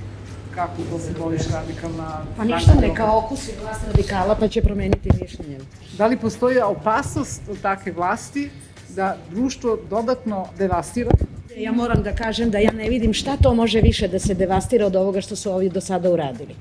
kako to se voliš radikalna stranka? Pa ništa, neka okusi vlast radikala pa će promeniti mišljenje. Da li postoji opasnost od takve vlasti da društvo dodatno devastira? Ja moram da kažem da ja ne vidim šta to može više da se devastira od ovoga što su ovi do sada uradili.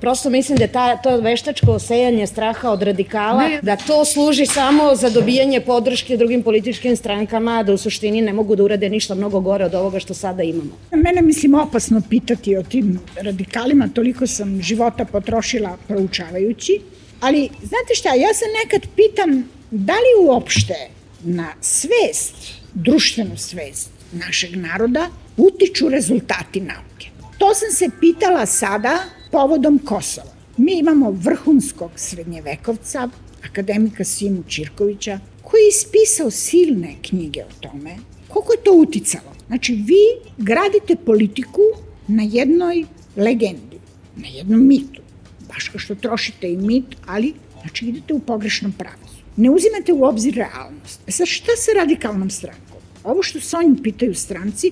Prosto mislim da to veštačko osejanje straha od radikala, da to služi samo za dobijanje podrške drugim političkim strankama, da u suštini ne mogu da urade ništa mnogo gore od ovoga što sada imamo. Mene mislim opasno pitati o tim radikalima, toliko sam života potrošila proučavajući, ali znate šta, ja se nekad pitam da li uopšte na svest, društvenu svest našeg naroda utiču rezultati nauke. To sam se pitala sada povodom Kosova. Mi imamo vrhunskog srednjevekovca, akademika Simu Ćirkovića, koji je ispisao silne knjige o tome. Koliko je to uticalo? Znači, vi gradite politiku na jednoj legendi, na jednom mitu. Baš kao što trošite i mit, ali znači idete u pogrešnom pravcu. Ne uzimate u obzir realnost. Sad, šta sa radikalnom strankom? Ovo što se oni pitaju stranci,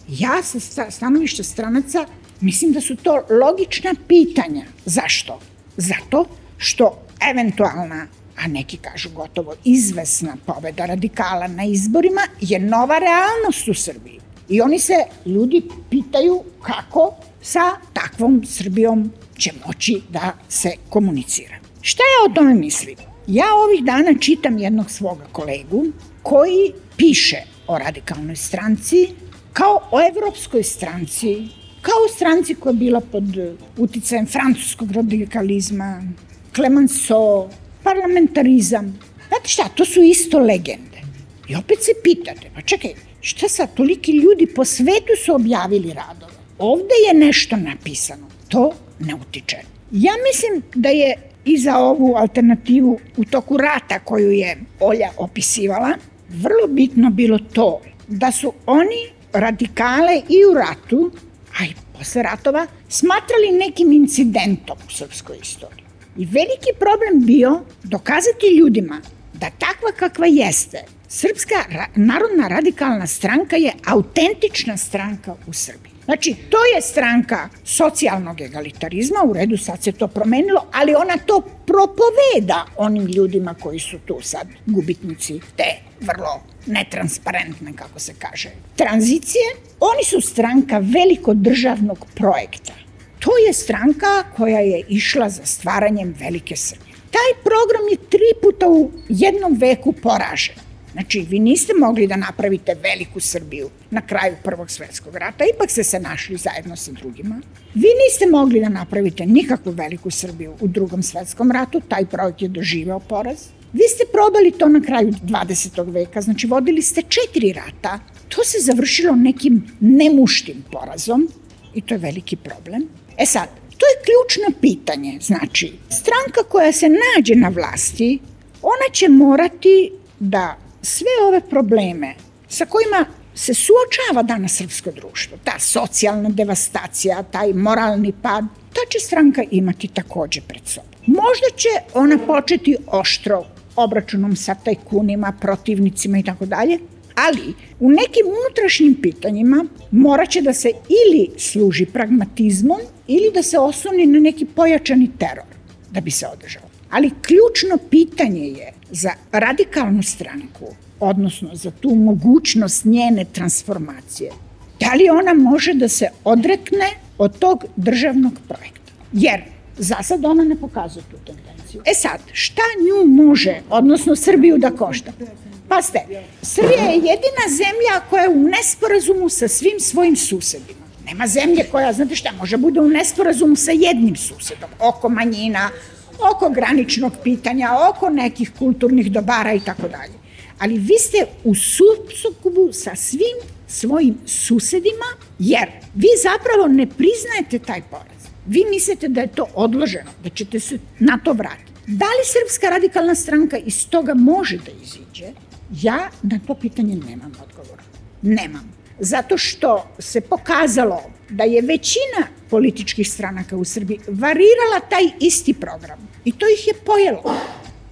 ja sa stanovišta stranaca mislim da su to logična pitanja. Zašto? Zato što eventualna, a neki kažu gotovo izvesna pobeda radikala na izborima je nova realnost u Srbiji. I oni se, ljudi, pitaju kako sa takvom Srbijom će moći da se komunicira. Šta ja o tome mislim? Ja ovih dana čitam jednog svoga kolegu koji piše o radikalnoj stranci, kao o evropskoj stranci, kao o stranci koja je bila pod uticajem francuskog radikalizma, Clemenceau, parlamentarizam. Znate šta, to su isto legende. I opet se pitate, pa čekaj, šta sad, toliki ljudi po svetu su objavili radove. Ovde je nešto napisano, to ne utiče. Ja mislim da je i za ovu alternativu u toku rata koju je Olja opisivala, vrlo bitno bilo to da su oni radikale i u ratu, a i posle ratova, smatrali nekim incidentom u srpskoj istoriji. I veliki problem bio dokazati ljudima da takva kakva jeste, Srpska narodna radikalna stranka je autentična stranka u Srbiji. Znači, to je stranka socijalnog egalitarizma, u redu sad se to promenilo, ali ona to propoveda onim ljudima koji su tu sad gubitnici te vrlo netransparentne, kako se kaže, tranzicije. Oni su stranka velikodržavnog projekta. To je stranka koja je išla za stvaranjem velike Srbije. Taj program je 3 puta u jednom veku poražen. Znači, vi niste mogli da napravite veliku Srbiju na kraju Prvog svetskog rata, ipak ste se našli zajedno sa drugima. Vi niste mogli da napravite nikakvu veliku Srbiju u Drugom svetskom ratu, taj projekt je doživeo poraz. Vi ste probali to na kraju 20. veka, znači vodili ste 4 rata, to se završilo nekim nemuštim porazom i to je veliki problem. E sad, to je ključno pitanje, znači, stranka koja se nađe na vlasti, ona će morati da sve ove probleme sa kojima se suočava danas srpsko društvo, ta socijalna devastacija, taj moralni pad, ta će stranka imati takođe pred sobom. Možda će ona početi oštro obračunom sa tajkunima, protivnicima i tako dalje, ali u nekim unutrašnjim pitanjima morat će da se ili služi pragmatizmom ili da se osloni na neki pojačani teror da bi se održao. Ali ključno pitanje je za radikalnu stranku, odnosno za tu mogućnost njene transformacije, da li ona može da se odrekne od tog državnog projekta. Jer za sad ona ne pokazuje tu tendenciju. E sad, šta nju može, odnosno Srbiju da košta? Pazite, Srbija je jedina zemlja koja je u nesporazumu sa svim svojim susedima. Nema zemlje koja, znate šta, može bude u nesporazumu sa jednim susedom, oko manjina, oko graničnog pitanja, oko nekih kulturnih dobara i tako dalje. Ali vi ste u sukobu sa svim svojim susedima, jer vi zapravo ne priznajete taj poraz. Vi mislite da je to odloženo, da ćete se na to vratiti. Da li Srpska radikalna stranka iz toga može da iziđe? Ja na to pitanje nemam odgovora. Nemam. Zato što se pokazalo da je većina političkih stranaka u Srbiji varirala taj isti program. I to ih je pojelo.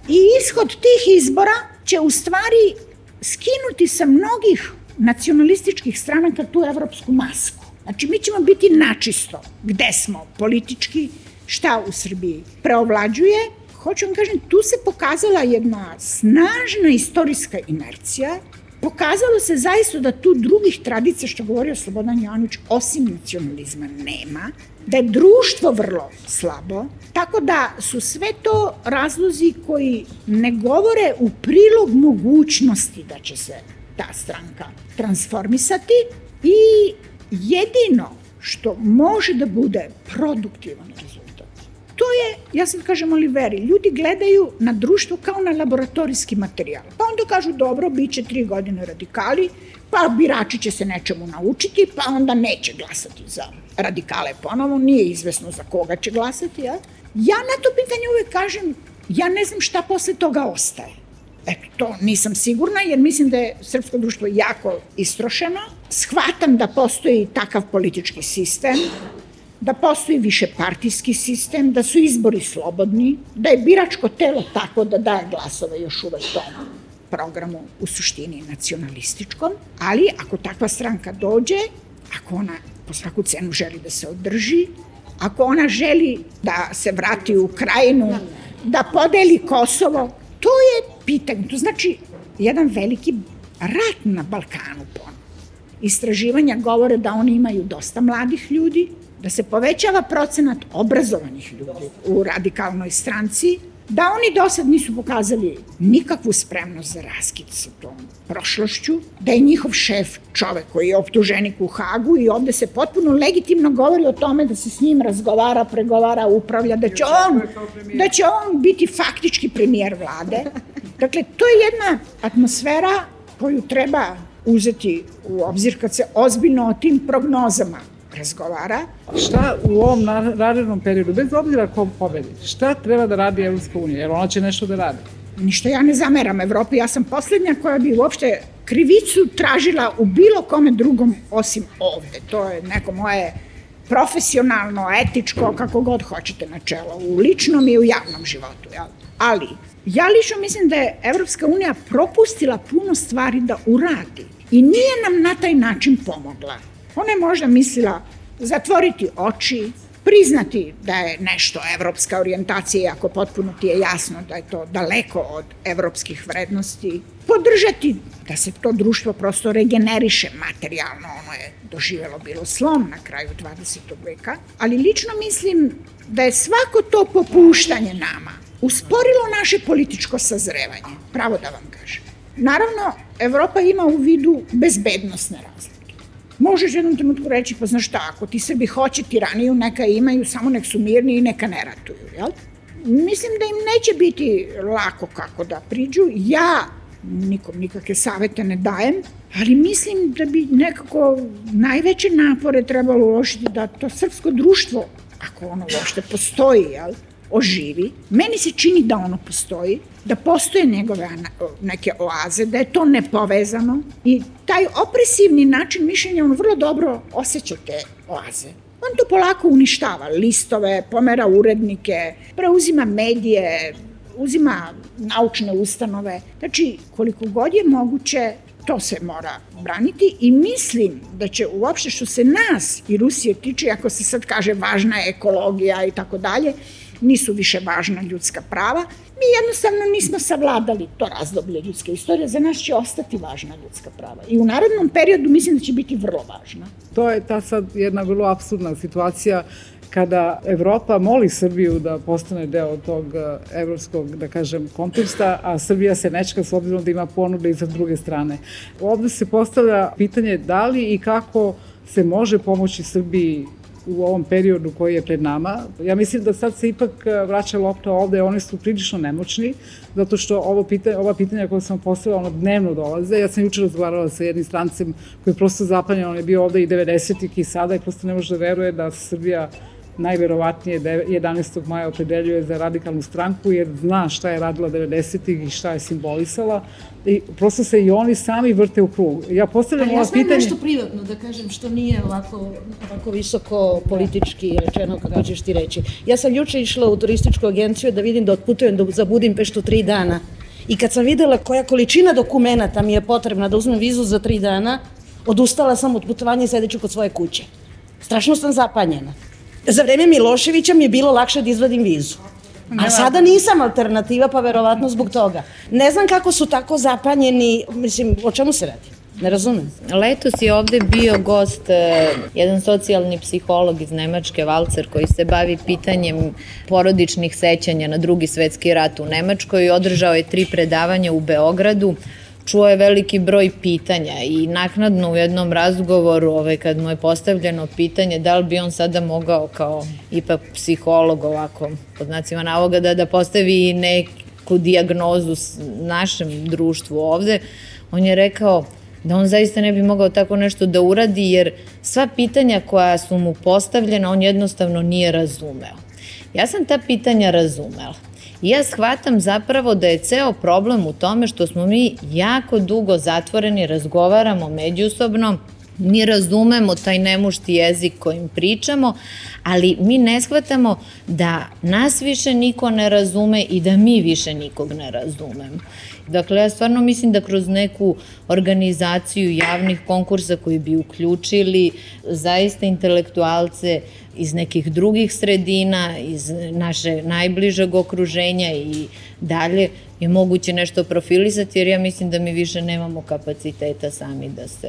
I ishod tih izbora će u stvari skinuti sa mnogih nacionalističkih stranaka tu evropsku masku. Znači, mi ćemo biti načisto gde smo politički, šta u Srbiji preovlađuje. Hoću vam kažem, tu se pokazala jedna snažna istorijska inercija. Pokazalo se zaista da tu drugih tradicija, što govorio Slobodan Jovanović, osim nacionalizma nema, da je društvo vrlo slabo, tako da su sve to razlozi koji ne govore u prilog mogućnosti da će se ta stranka transformisati i jedino što može da bude produktivan rezultat. To je, ja sad kažem Oliveri, ljudi gledaju na društvo kao na laboratorijski materijal. Pa onda kažu, dobro, bit će 3 godine radikali, pa birači će se nečemu naučiti, pa onda neće glasati za radikale ponovo, nije izvesno za koga će glasati. Ja na to pitanje uvek kažem, ja ne znam šta posle toga ostaje. Eto, to nisam sigurna, jer mislim da je srpsko društvo jako istrošeno. Shvatam da postoji takav politički sistem, da postoji višepartijski sistem, da su izbori slobodni, da je biračko telo tako da daje glasove još uvek tom programu u suštini nacionalističkom, ali ako takva stranka dođe, ako ona po svaku cenu želi da se održi, ako ona želi da se vrati u Krajinu, da podeli Kosovo, to je pitanje. To znači jedan veliki rat na Balkanu ponovno. Istraživanja govore da oni imaju dosta mladih ljudi, da se povećava procenat obrazovanih ljudi u radikalnoj stranci, da oni do sad nisu pokazali nikakvu spremnost za raskid sa tom prošlošću, da je njihov šef čovek koji je optuženik u Hagu i ovde se potpuno legitimno govori o tome da se s njim razgovara, pregovara, upravlja, da će on biti faktički premijer vlade. Dakle, to je jedna atmosfera koju treba uzeti u obzir kad se ozbiljno o tim prognozama razgovara. Šta u ovom narednom periodu, bez obzira ko pobedi, šta treba da radi Evropska unija? Jer ona će nešto da radi. Ništa ja ne zameram Evropi, ja sam poslednja koja bi uopšte krivicu tražila u bilo kome drugom osim ovde. To je neko moje profesionalno, etičko, kako god hoćete načelo, u ličnom i u javnom životu. Ali, ja lično mislim da je Evropska unija propustila puno stvari da uradi i nije nam na taj način pomogla. Ona je možda mislila zatvoriti oči, priznati da je nešto evropska orijentacija, iako potpuno ti je jasno da je to daleko od evropskih vrednosti, podržati da se to društvo prosto regeneriše materijalno, ono je doživelo bilo slom na kraju 20. veka, ali lično mislim da je svako to popuštanje nama usporilo naše političko sazrevanje, pravo da vam kažem. Naravno, Evropa ima u vidu bezbednosne razlike. Možeš jednom trenutku reći, pa znaš šta, ako ti Srbi hoće tiraniju, neka imaju, samo nek su mirni i neka ne ratuju, jel? Mislim da im neće biti lako kako da priđu. Ja nikom nikakve savete ne dajem, ali mislim da bi nekako najveće napore trebalo uložiti da to srpsko društvo, ako ono uopšte postoji, jel, oživi. Meni se čini da ono postoji, da postoje njegove neke oaze, da je to nepovezano i taj opresivni način mišljenja on vrlo dobro osjeća te oaze. On to polako uništava, listove, pomera urednike, preuzima medije, uzima naučne ustanove. Znači, koliko god je moguće, to se mora braniti i mislim da će uopšte što se nas i Rusije tiče, ako se sad kaže važna je ekologija i tako dalje, nisu više važna ljudska prava. Mi jednostavno nismo savladali to razdoblje ljudske istorije, za nas će ostati važna ljudska prava. I u narednom periodu mislim da će biti vrlo važna. To je ta sad jedna vrlo apsurdna situacija kada Evropa moli Srbiju da postane deo tog evropskog, da kažem, konteksta, a Srbija se nečeka s obzirom da ima ponude i sa druge strane. Ovde se postavlja pitanje da li i kako se može pomoći Srbiji u ovom periodu koji je pred nama. Ja mislim da sad se ipak vraća lopta ovde, oni su prilično nemoćni, zato što ova pitanja koja sam postavila, ono dnevno dolaze. Ja sam jučer razgovarala sa jednim strancem koji je prosto zapanjen, on je bio ovde i 90-ih i sada i prosto ne može da veruje da Srbija najverovatnije 11. maja opredeljuje za radikalnu stranku jer zna šta je radila 90-ih i šta je simbolisala i prosto se i oni sami vrte u krug. Ja postavljam ova pitanje... Ja nešto privatno da kažem što nije ovako visoko politički rečeno kako ćeš ti reći. Ja sam juče išla u turističku agenciju da vidim da otputujem za Budimpeštu 3 dana i kad sam videla koja količina dokumenata mi je potrebna da uzmem vizu za 3 dana, odustala sam od putovanja i sedeću kod svoje kuće. Strašno sam zapanjena. Za vreme Miloševića mi je bilo lakše da izvadim vizu. A sada nisam alternativa, pa verovatno zbog toga. Ne znam kako su tako zapanjeni, mislim, o čemu se radi? Ne razumem. Letos je ovde bio gost jedan socijalni psiholog iz Nemačke, Valcer, koji se bavi pitanjem porodičnih sećanja na Drugi svetski rat u Nemačkoj i održao je 3 predavanja u Beogradu. Čuo je veliki broj pitanja i naknadno u jednom razgovoru kad mu je postavljeno pitanje da li bi on sada mogao kao ipak psiholog ovako pod znacima navoda da postavi neku dijagnozu našem društvu ovde, on je rekao da on zaista ne bi mogao tako nešto da uradi jer sva pitanja koja su mu postavljena on jednostavno nije razumeo. Ja sam ta pitanja razumela. I ja shvatam zapravo da je ceo problem u tome što smo mi jako dugo zatvoreni, razgovaramo međusobno, mi razumemo taj nemušti jezik kojim pričamo, ali mi ne shvatamo da nas više niko ne razume i da mi više nikog ne razumemo. Dakle, ja stvarno mislim da kroz neku organizaciju javnih konkursa koji bi uključili zaista intelektualce iz nekih drugih sredina, iz naše najbližeg okruženja i dalje je moguće nešto profilisati, jer ja mislim da mi više nemamo kapaciteta sami da se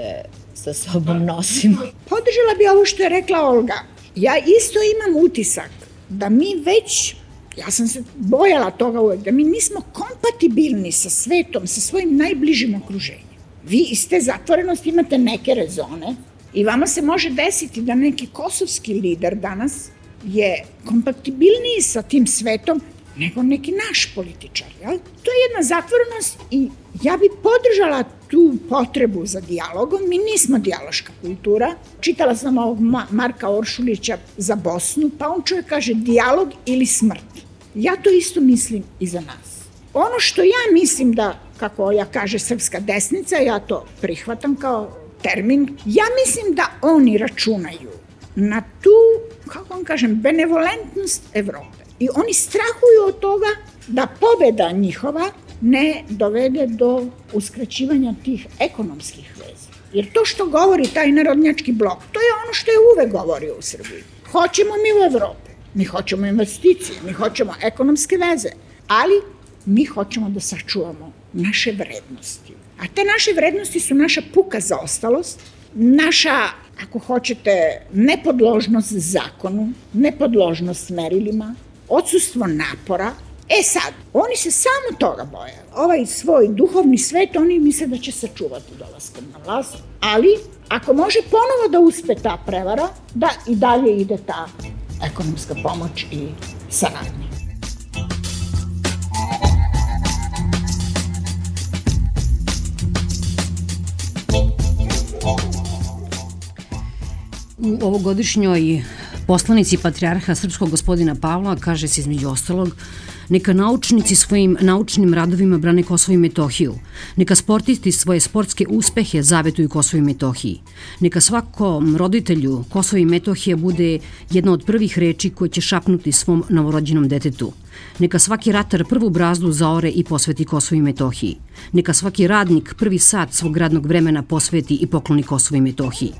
sa sobom nosimo. Podržala bi ovo što je rekla Olga. Ja isto imam utisak da mi već Ja sam se bojala toga uvek, da mi nismo kompatibilni sa svetom, sa svojim najbližim okruženjem. Vi iz te zatvorenosti imate neke rezone i vama se može desiti da neki kosovski lider danas je kompatibilniji sa tim svetom nego neki naš političar. Jel? To je jedna zatvorenost i ja bi podržala tu potrebu za dijalogom. Mi nismo dijaloška kultura. Čitala sam ovog Marka Oršulića za Bosnu, pa on čovjek kaže dijalog ili smrt. Ja to isto mislim i za nas. Ono što ja mislim da, kako ja kaže srpska desnica, ja to prihvatam kao termin, ja mislim da oni računaju na tu, kako vam kažem, benevolentnost Evrope. I oni strahuju od toga da pobeda njihova ne dovede do uskraćivanja tih ekonomskih veza. Jer to što govori taj narodnjački blok, to je ono što je uvek govorio u Srbiji. Hoćemo mi u Evropu, mi hoćemo investicije, mi hoćemo ekonomske veze, ali mi hoćemo da sačuvamo naše vrednosti. A te naše vrednosti su naša puka zaostalost, naša, ako hoćete, nepodložnost zakonu, nepodložnost merilima, odsustvo napora. E sad, oni se samo toga boje. Ovaj svoj duhovni svet, oni misle da će sačuvati dolaskom na vlast, ali ako može ponovo da uspe ta prevara, da i dalje ide ta ekonomska pomoć i saradnja. U ovogodišnjoj poslanici patrijarha srpskog gospodina Pavla kaže se između ostalog: neka naučnici svojim naučnim radovima brane Kosovo i Metohiju, neka sportisti svoje sportske uspehe zavetuju Kosovo i Metohiji, neka svakom roditelju Kosovo i Metohija bude jedna od prvih reči koje će šapnuti svom novorođenom detetu, neka svaki ratar prvu brazdu zaore i posveti Kosovo i Metohiji, neka svaki radnik prvi sat svog radnog vremena posveti i pokloni Kosovo i Metohiji.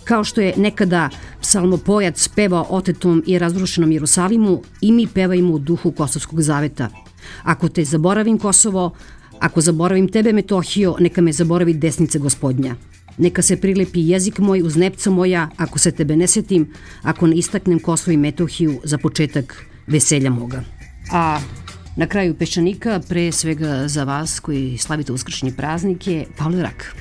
Kao što je nekada psalmopojac pevao otetom i razrušenom Jerusalimu, i mi pevajmo u duhu Kosovskog zaveta. Ako te zaboravim Kosovo, ako zaboravim tebe Metohijo, neka me zaboravi desnica Gospodnja. Neka se prilepi jezik moj uz nepca moja, ako se tebe ne setim, ako ne istaknem Kosovo i Metohiju za početak veselja moga. A na kraju Peščanika, pre svega za vas koji slavite uskršnje praznike, Pavle Rak.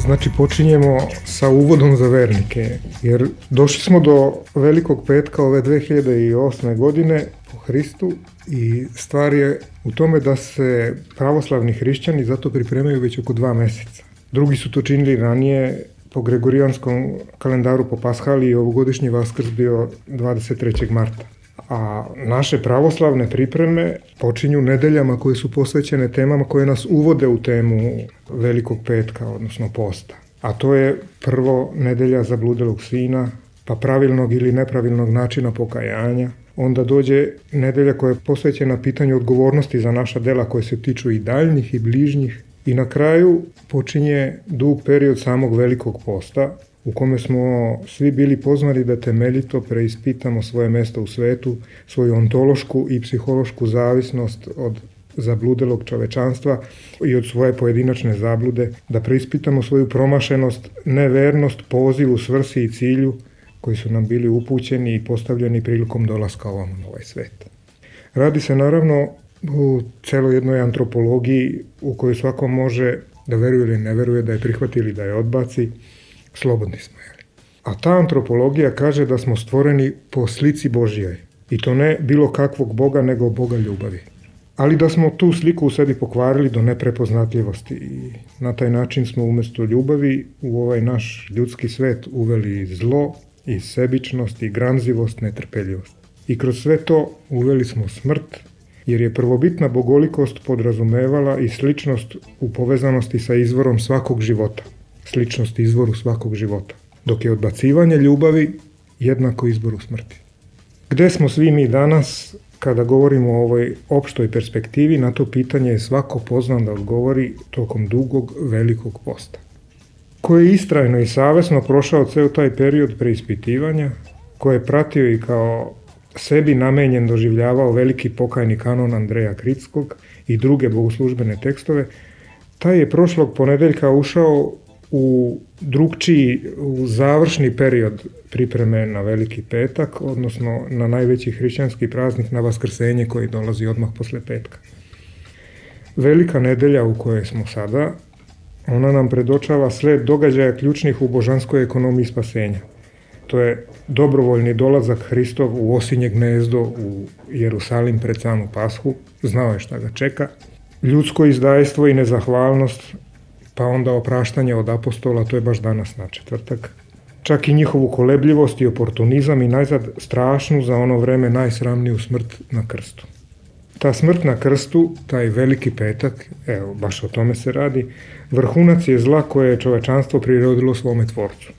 Znači, počinjemo sa uvodom za vernike, jer došli smo do Velikog petka ove 2008. godine po Hristu i stvar je u tome da se pravoslavni hrišćani zato pripremaju već oko 2 meseca. Drugi su to činili ranije po gregorijanskom kalendaru po Paschali i ovogodišnji Vaskrs bio 23. marta. A naše pravoslavne pripreme počinju nedeljama koje su posvećene temama koje nas uvode u temu Velikog petka, odnosno posta. A to je prvo nedelja zabludelog sina, pa pravilnog ili nepravilnog načina pokajanja. Onda dođe nedelja koja je posvećena pitanju odgovornosti za naša dela koje se tiču i daljnjih i bližnjih. I na kraju počinje dug period samog Velikog posta, u kome smo svi bili pozvani da temeljito preispitamo svoje mesto u svetu, svoju ontološku i psihološku zavisnost od zabludelog čovečanstva i od svoje pojedinačne zablude, da preispitamo svoju promašenost, nevernost, pozivu, svrsi i cilju koji su nam bili upućeni i postavljeni prilikom dolaska ovom na ovaj svet. Radi se naravno u celoj jednoj antropologiji u kojoj svako može da veruje ili ne veruje, da je prihvati ili da je odbaci, slobodni smo. A ta antropologija kaže da smo stvoreni po slici Božjoj. I to ne bilo kakvog Boga, nego Boga ljubavi. Ali da smo tu sliku u sebi pokvarili do neprepoznatljivosti i na taj način smo umesto ljubavi u ovaj naš ljudski svet uveli zlo i sebičnost i gramzivost, netrpeljivost. I kroz sve to uveli smo smrt, jer je prvobitna bogolikost podrazumevala i sličnost u povezanosti sa izvorom svakog života. Sličnost izvoru svakog života, dok je odbacivanje ljubavi jednako izboru smrti. Gde smo svi mi danas, kada govorimo o ovoj opštoj perspektivi, na to pitanje je svako pozvan da odgovori tokom dugog Velikog posta. Ko je istrajno i savesno prošao ceo taj period preispitivanja, ko je pratio i kao sebi namenjen doživljavao veliki pokajni kanon Andreja Kritskog i druge bogoslužbene tekstove, taj je prošlog ponedeljka ušao u drugčiji, u završni period pripreme na Veliki petak, odnosno na najveći hrišćanski praznik, na Vaskrsenje koji dolazi odmah posle petka. Velika nedelja u kojoj smo sada, ona nam predočava sled događaja ključnih u božanskoj ekonomiji spasenja. To je dobrovoljni dolazak Hristov u osinje gnezdo u Jerusalim pred samu Pashu, znao je šta ga čeka, ljudsko izdajstvo i nezahvalnost, pa onda opraštanje od apostola, to je baš danas na četvrtak. Čak i njihovu kolebljivost i oportunizam i najzad strašnu za ono vreme najsramniju smrt na krstu. Ta smrt na krstu, taj Veliki petak, evo, baš o tome se radi, vrhunac je zla koje je čovečanstvo prirodilo svome tvorcu.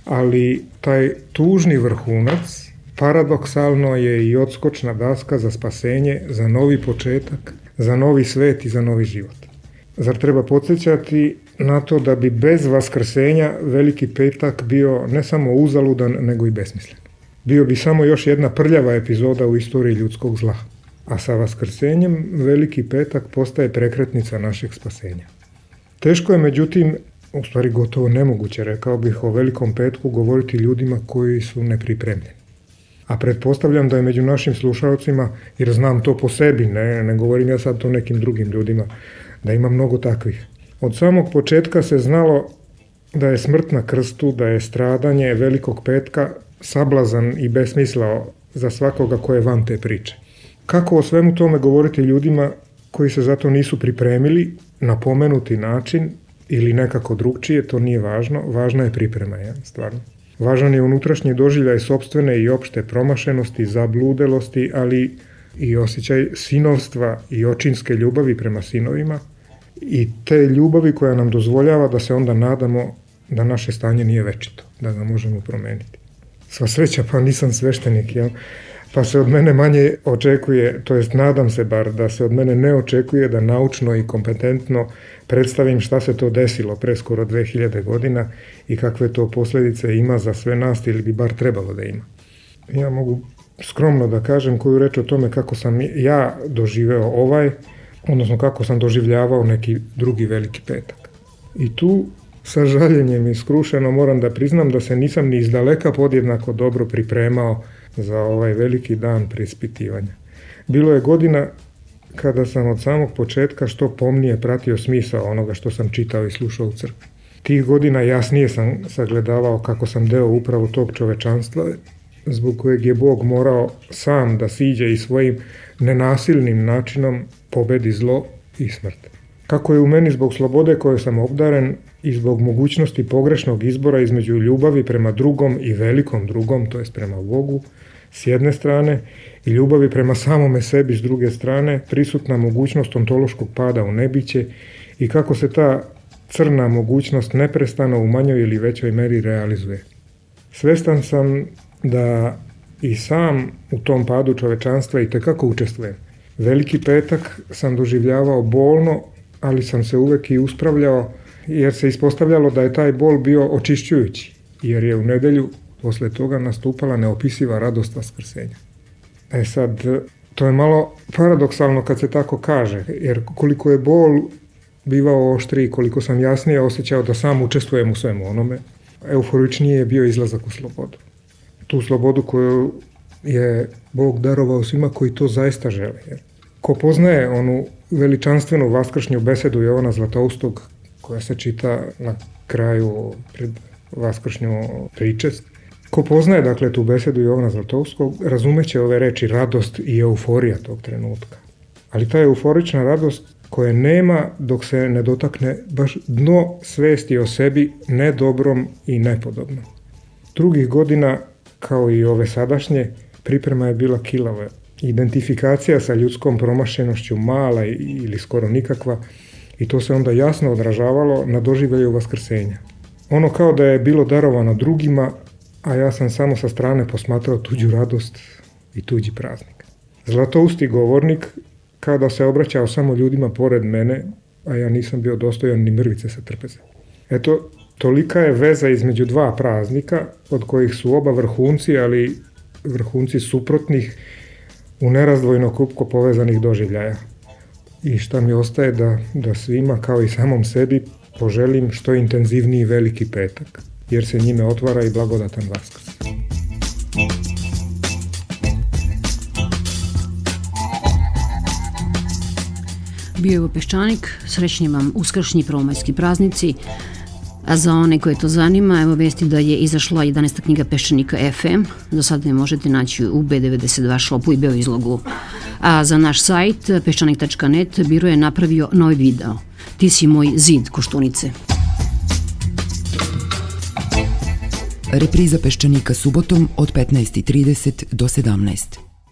Ali taj tužni vrhunac paradoksalno je i odskočna daska za spasenje, za novi početak, za novi svet i za novi život. Zar treba podsjećati na to da bi bez vaskrsenja Veliki petak bio ne samo uzaludan, nego i besmislen? Bio bi samo još jedna prljava epizoda u istoriji ljudskog zla. A sa vaskrsenjem Veliki petak postaje prekretnica našeg spasenja. Teško je, međutim, u stvari gotovo nemoguće, rekao bih, o Velikom petku govoriti ljudima koji su nepripremljeni. A pretpostavljam da je među našim slušalcima, jer znam to po sebi, ne govorim ja sad to nekim drugim ljudima, da ima mnogo takvih. Od samog početka se znalo da je smrt na krstu, da je stradanje Velikog petka sablazan i besmislao za svakoga ko je van te priče. Kako o svemu tome govoriti ljudima koji se zato nisu pripremili na pomenuti način ili nekako drugčije, to nije važno, važna je priprema, stvarno. Važan je unutrašnji doživljaj sopstvene i opšte promašenosti, zabludelosti, ali i osjećaj sinovstva i očinske ljubavi prema sinovima i te ljubavi koja nam dozvoljava da se onda nadamo da naše stanje nije večito, da ga možemo promeniti. Sva sreća, pa nisam sveštenik, pa se od mene manje očekuje, to jest nadam se bar da se od mene ne očekuje da naučno i kompetentno predstavim šta se to desilo pre skoro 2000 godina i kakve to posljedice ima za sve nas ili bi bar trebalo da ima. Ja mogu skromno da kažem koju reč o tome kako sam ja doživeo odnosno kako sam doživljavao neki drugi Veliki petak. I tu sa žaljenjem i skrušeno moram da priznam da se nisam ni izdaleka podjednako dobro pripremao za ovaj veliki dan preispitivanja. Bilo je godina kada sam od samog početka što pomnije pratio smisao onoga što sam čitao i slušao u crkvi. Tih godina jasnije sam sagledavao kako sam deo upravo tog čovečanstva, zbog kojeg je Bog morao sam da siđe i svojim nenasilnim načinom pobedi zlo i smrt. Kako je u meni zbog slobode koje sam obdaren i zbog mogućnosti pogrešnog izbora između ljubavi prema drugom i velikom drugom, to jest prema Bogu, s jedne strane, i ljubavi prema samome sebi s druge strane, prisutna mogućnost ontološkog pada u nebiće i kako se ta crna mogućnost neprestano u manjoj ili većoj meri realizuje. Svestan sam da i sam u tom padu čovečanstva i tekako učestvujem. Veliki petak sam doživljavao bolno, ali sam se uvek i uspravljao, jer se ispostavljalo da je taj bol bio očišćujući, jer je u nedelju posle toga nastupala neopisiva radost vaskrsenja. Sad, to je malo paradoksalno kad se tako kaže, jer koliko je bol bivao oštriji, koliko sam jasnije osjećao da sam učestvujem u svemu onome, euforičnije je bio izlazak u slobodu. Tu slobodu koju je Bog darovao svima koji to zaista žele. Ko poznaje onu veličanstvenu vaskršnju besedu Jovana Zlatoustog, koja se čita na kraju pred vaskršnju pričest, ko poznaje dakle tu besedu Jovana Zlatoustog, razumeće ove reči radost i euforija tog trenutka. Ali ta euforična radost koje nema dok se ne dotakne baš dno svesti o sebi nedobrom i nepodobnom. Drugih godina, kao i ove sadašnje, priprema je bila kilava. Identifikacija sa ljudskom promašenošću mala ili skoro nikakva i to se onda jasno odražavalo na doživljaju vaskrsenja. Ono kao da je bilo darovano drugima, a ja sam samo sa strane posmatrao tuđu radost i tuđi praznik. Zlatousti govornik kao da se obraćao samo ljudima pored mene, a ja nisam bio dostojan ni mrvice sa trpeze. Eto, tolika je veza između dva praznika, od kojih su oba vrhunci, ali vrhunci suprotnih, u nerazdvojno krupko povezanih doživljaja. I šta mi ostaje da svima, kao i samom sebi, poželim što intenzivniji Veliki petak, jer se njime otvara i blagodatan Vaskrs. Bio je ovo Peščanik, srećni vam uskršnji prvomajski praznici, a za one koje to zanima, evo vesti da je izašla 11. knjiga Peščanika FM, do sada je možete naći u B92 shopu i Beoizlogu. A za naš sajt, peščanik.net, Biro je napravio novi video. Ti si moj zid, Koštunice. Repriza Peščanika subotom od 15:30 do 17.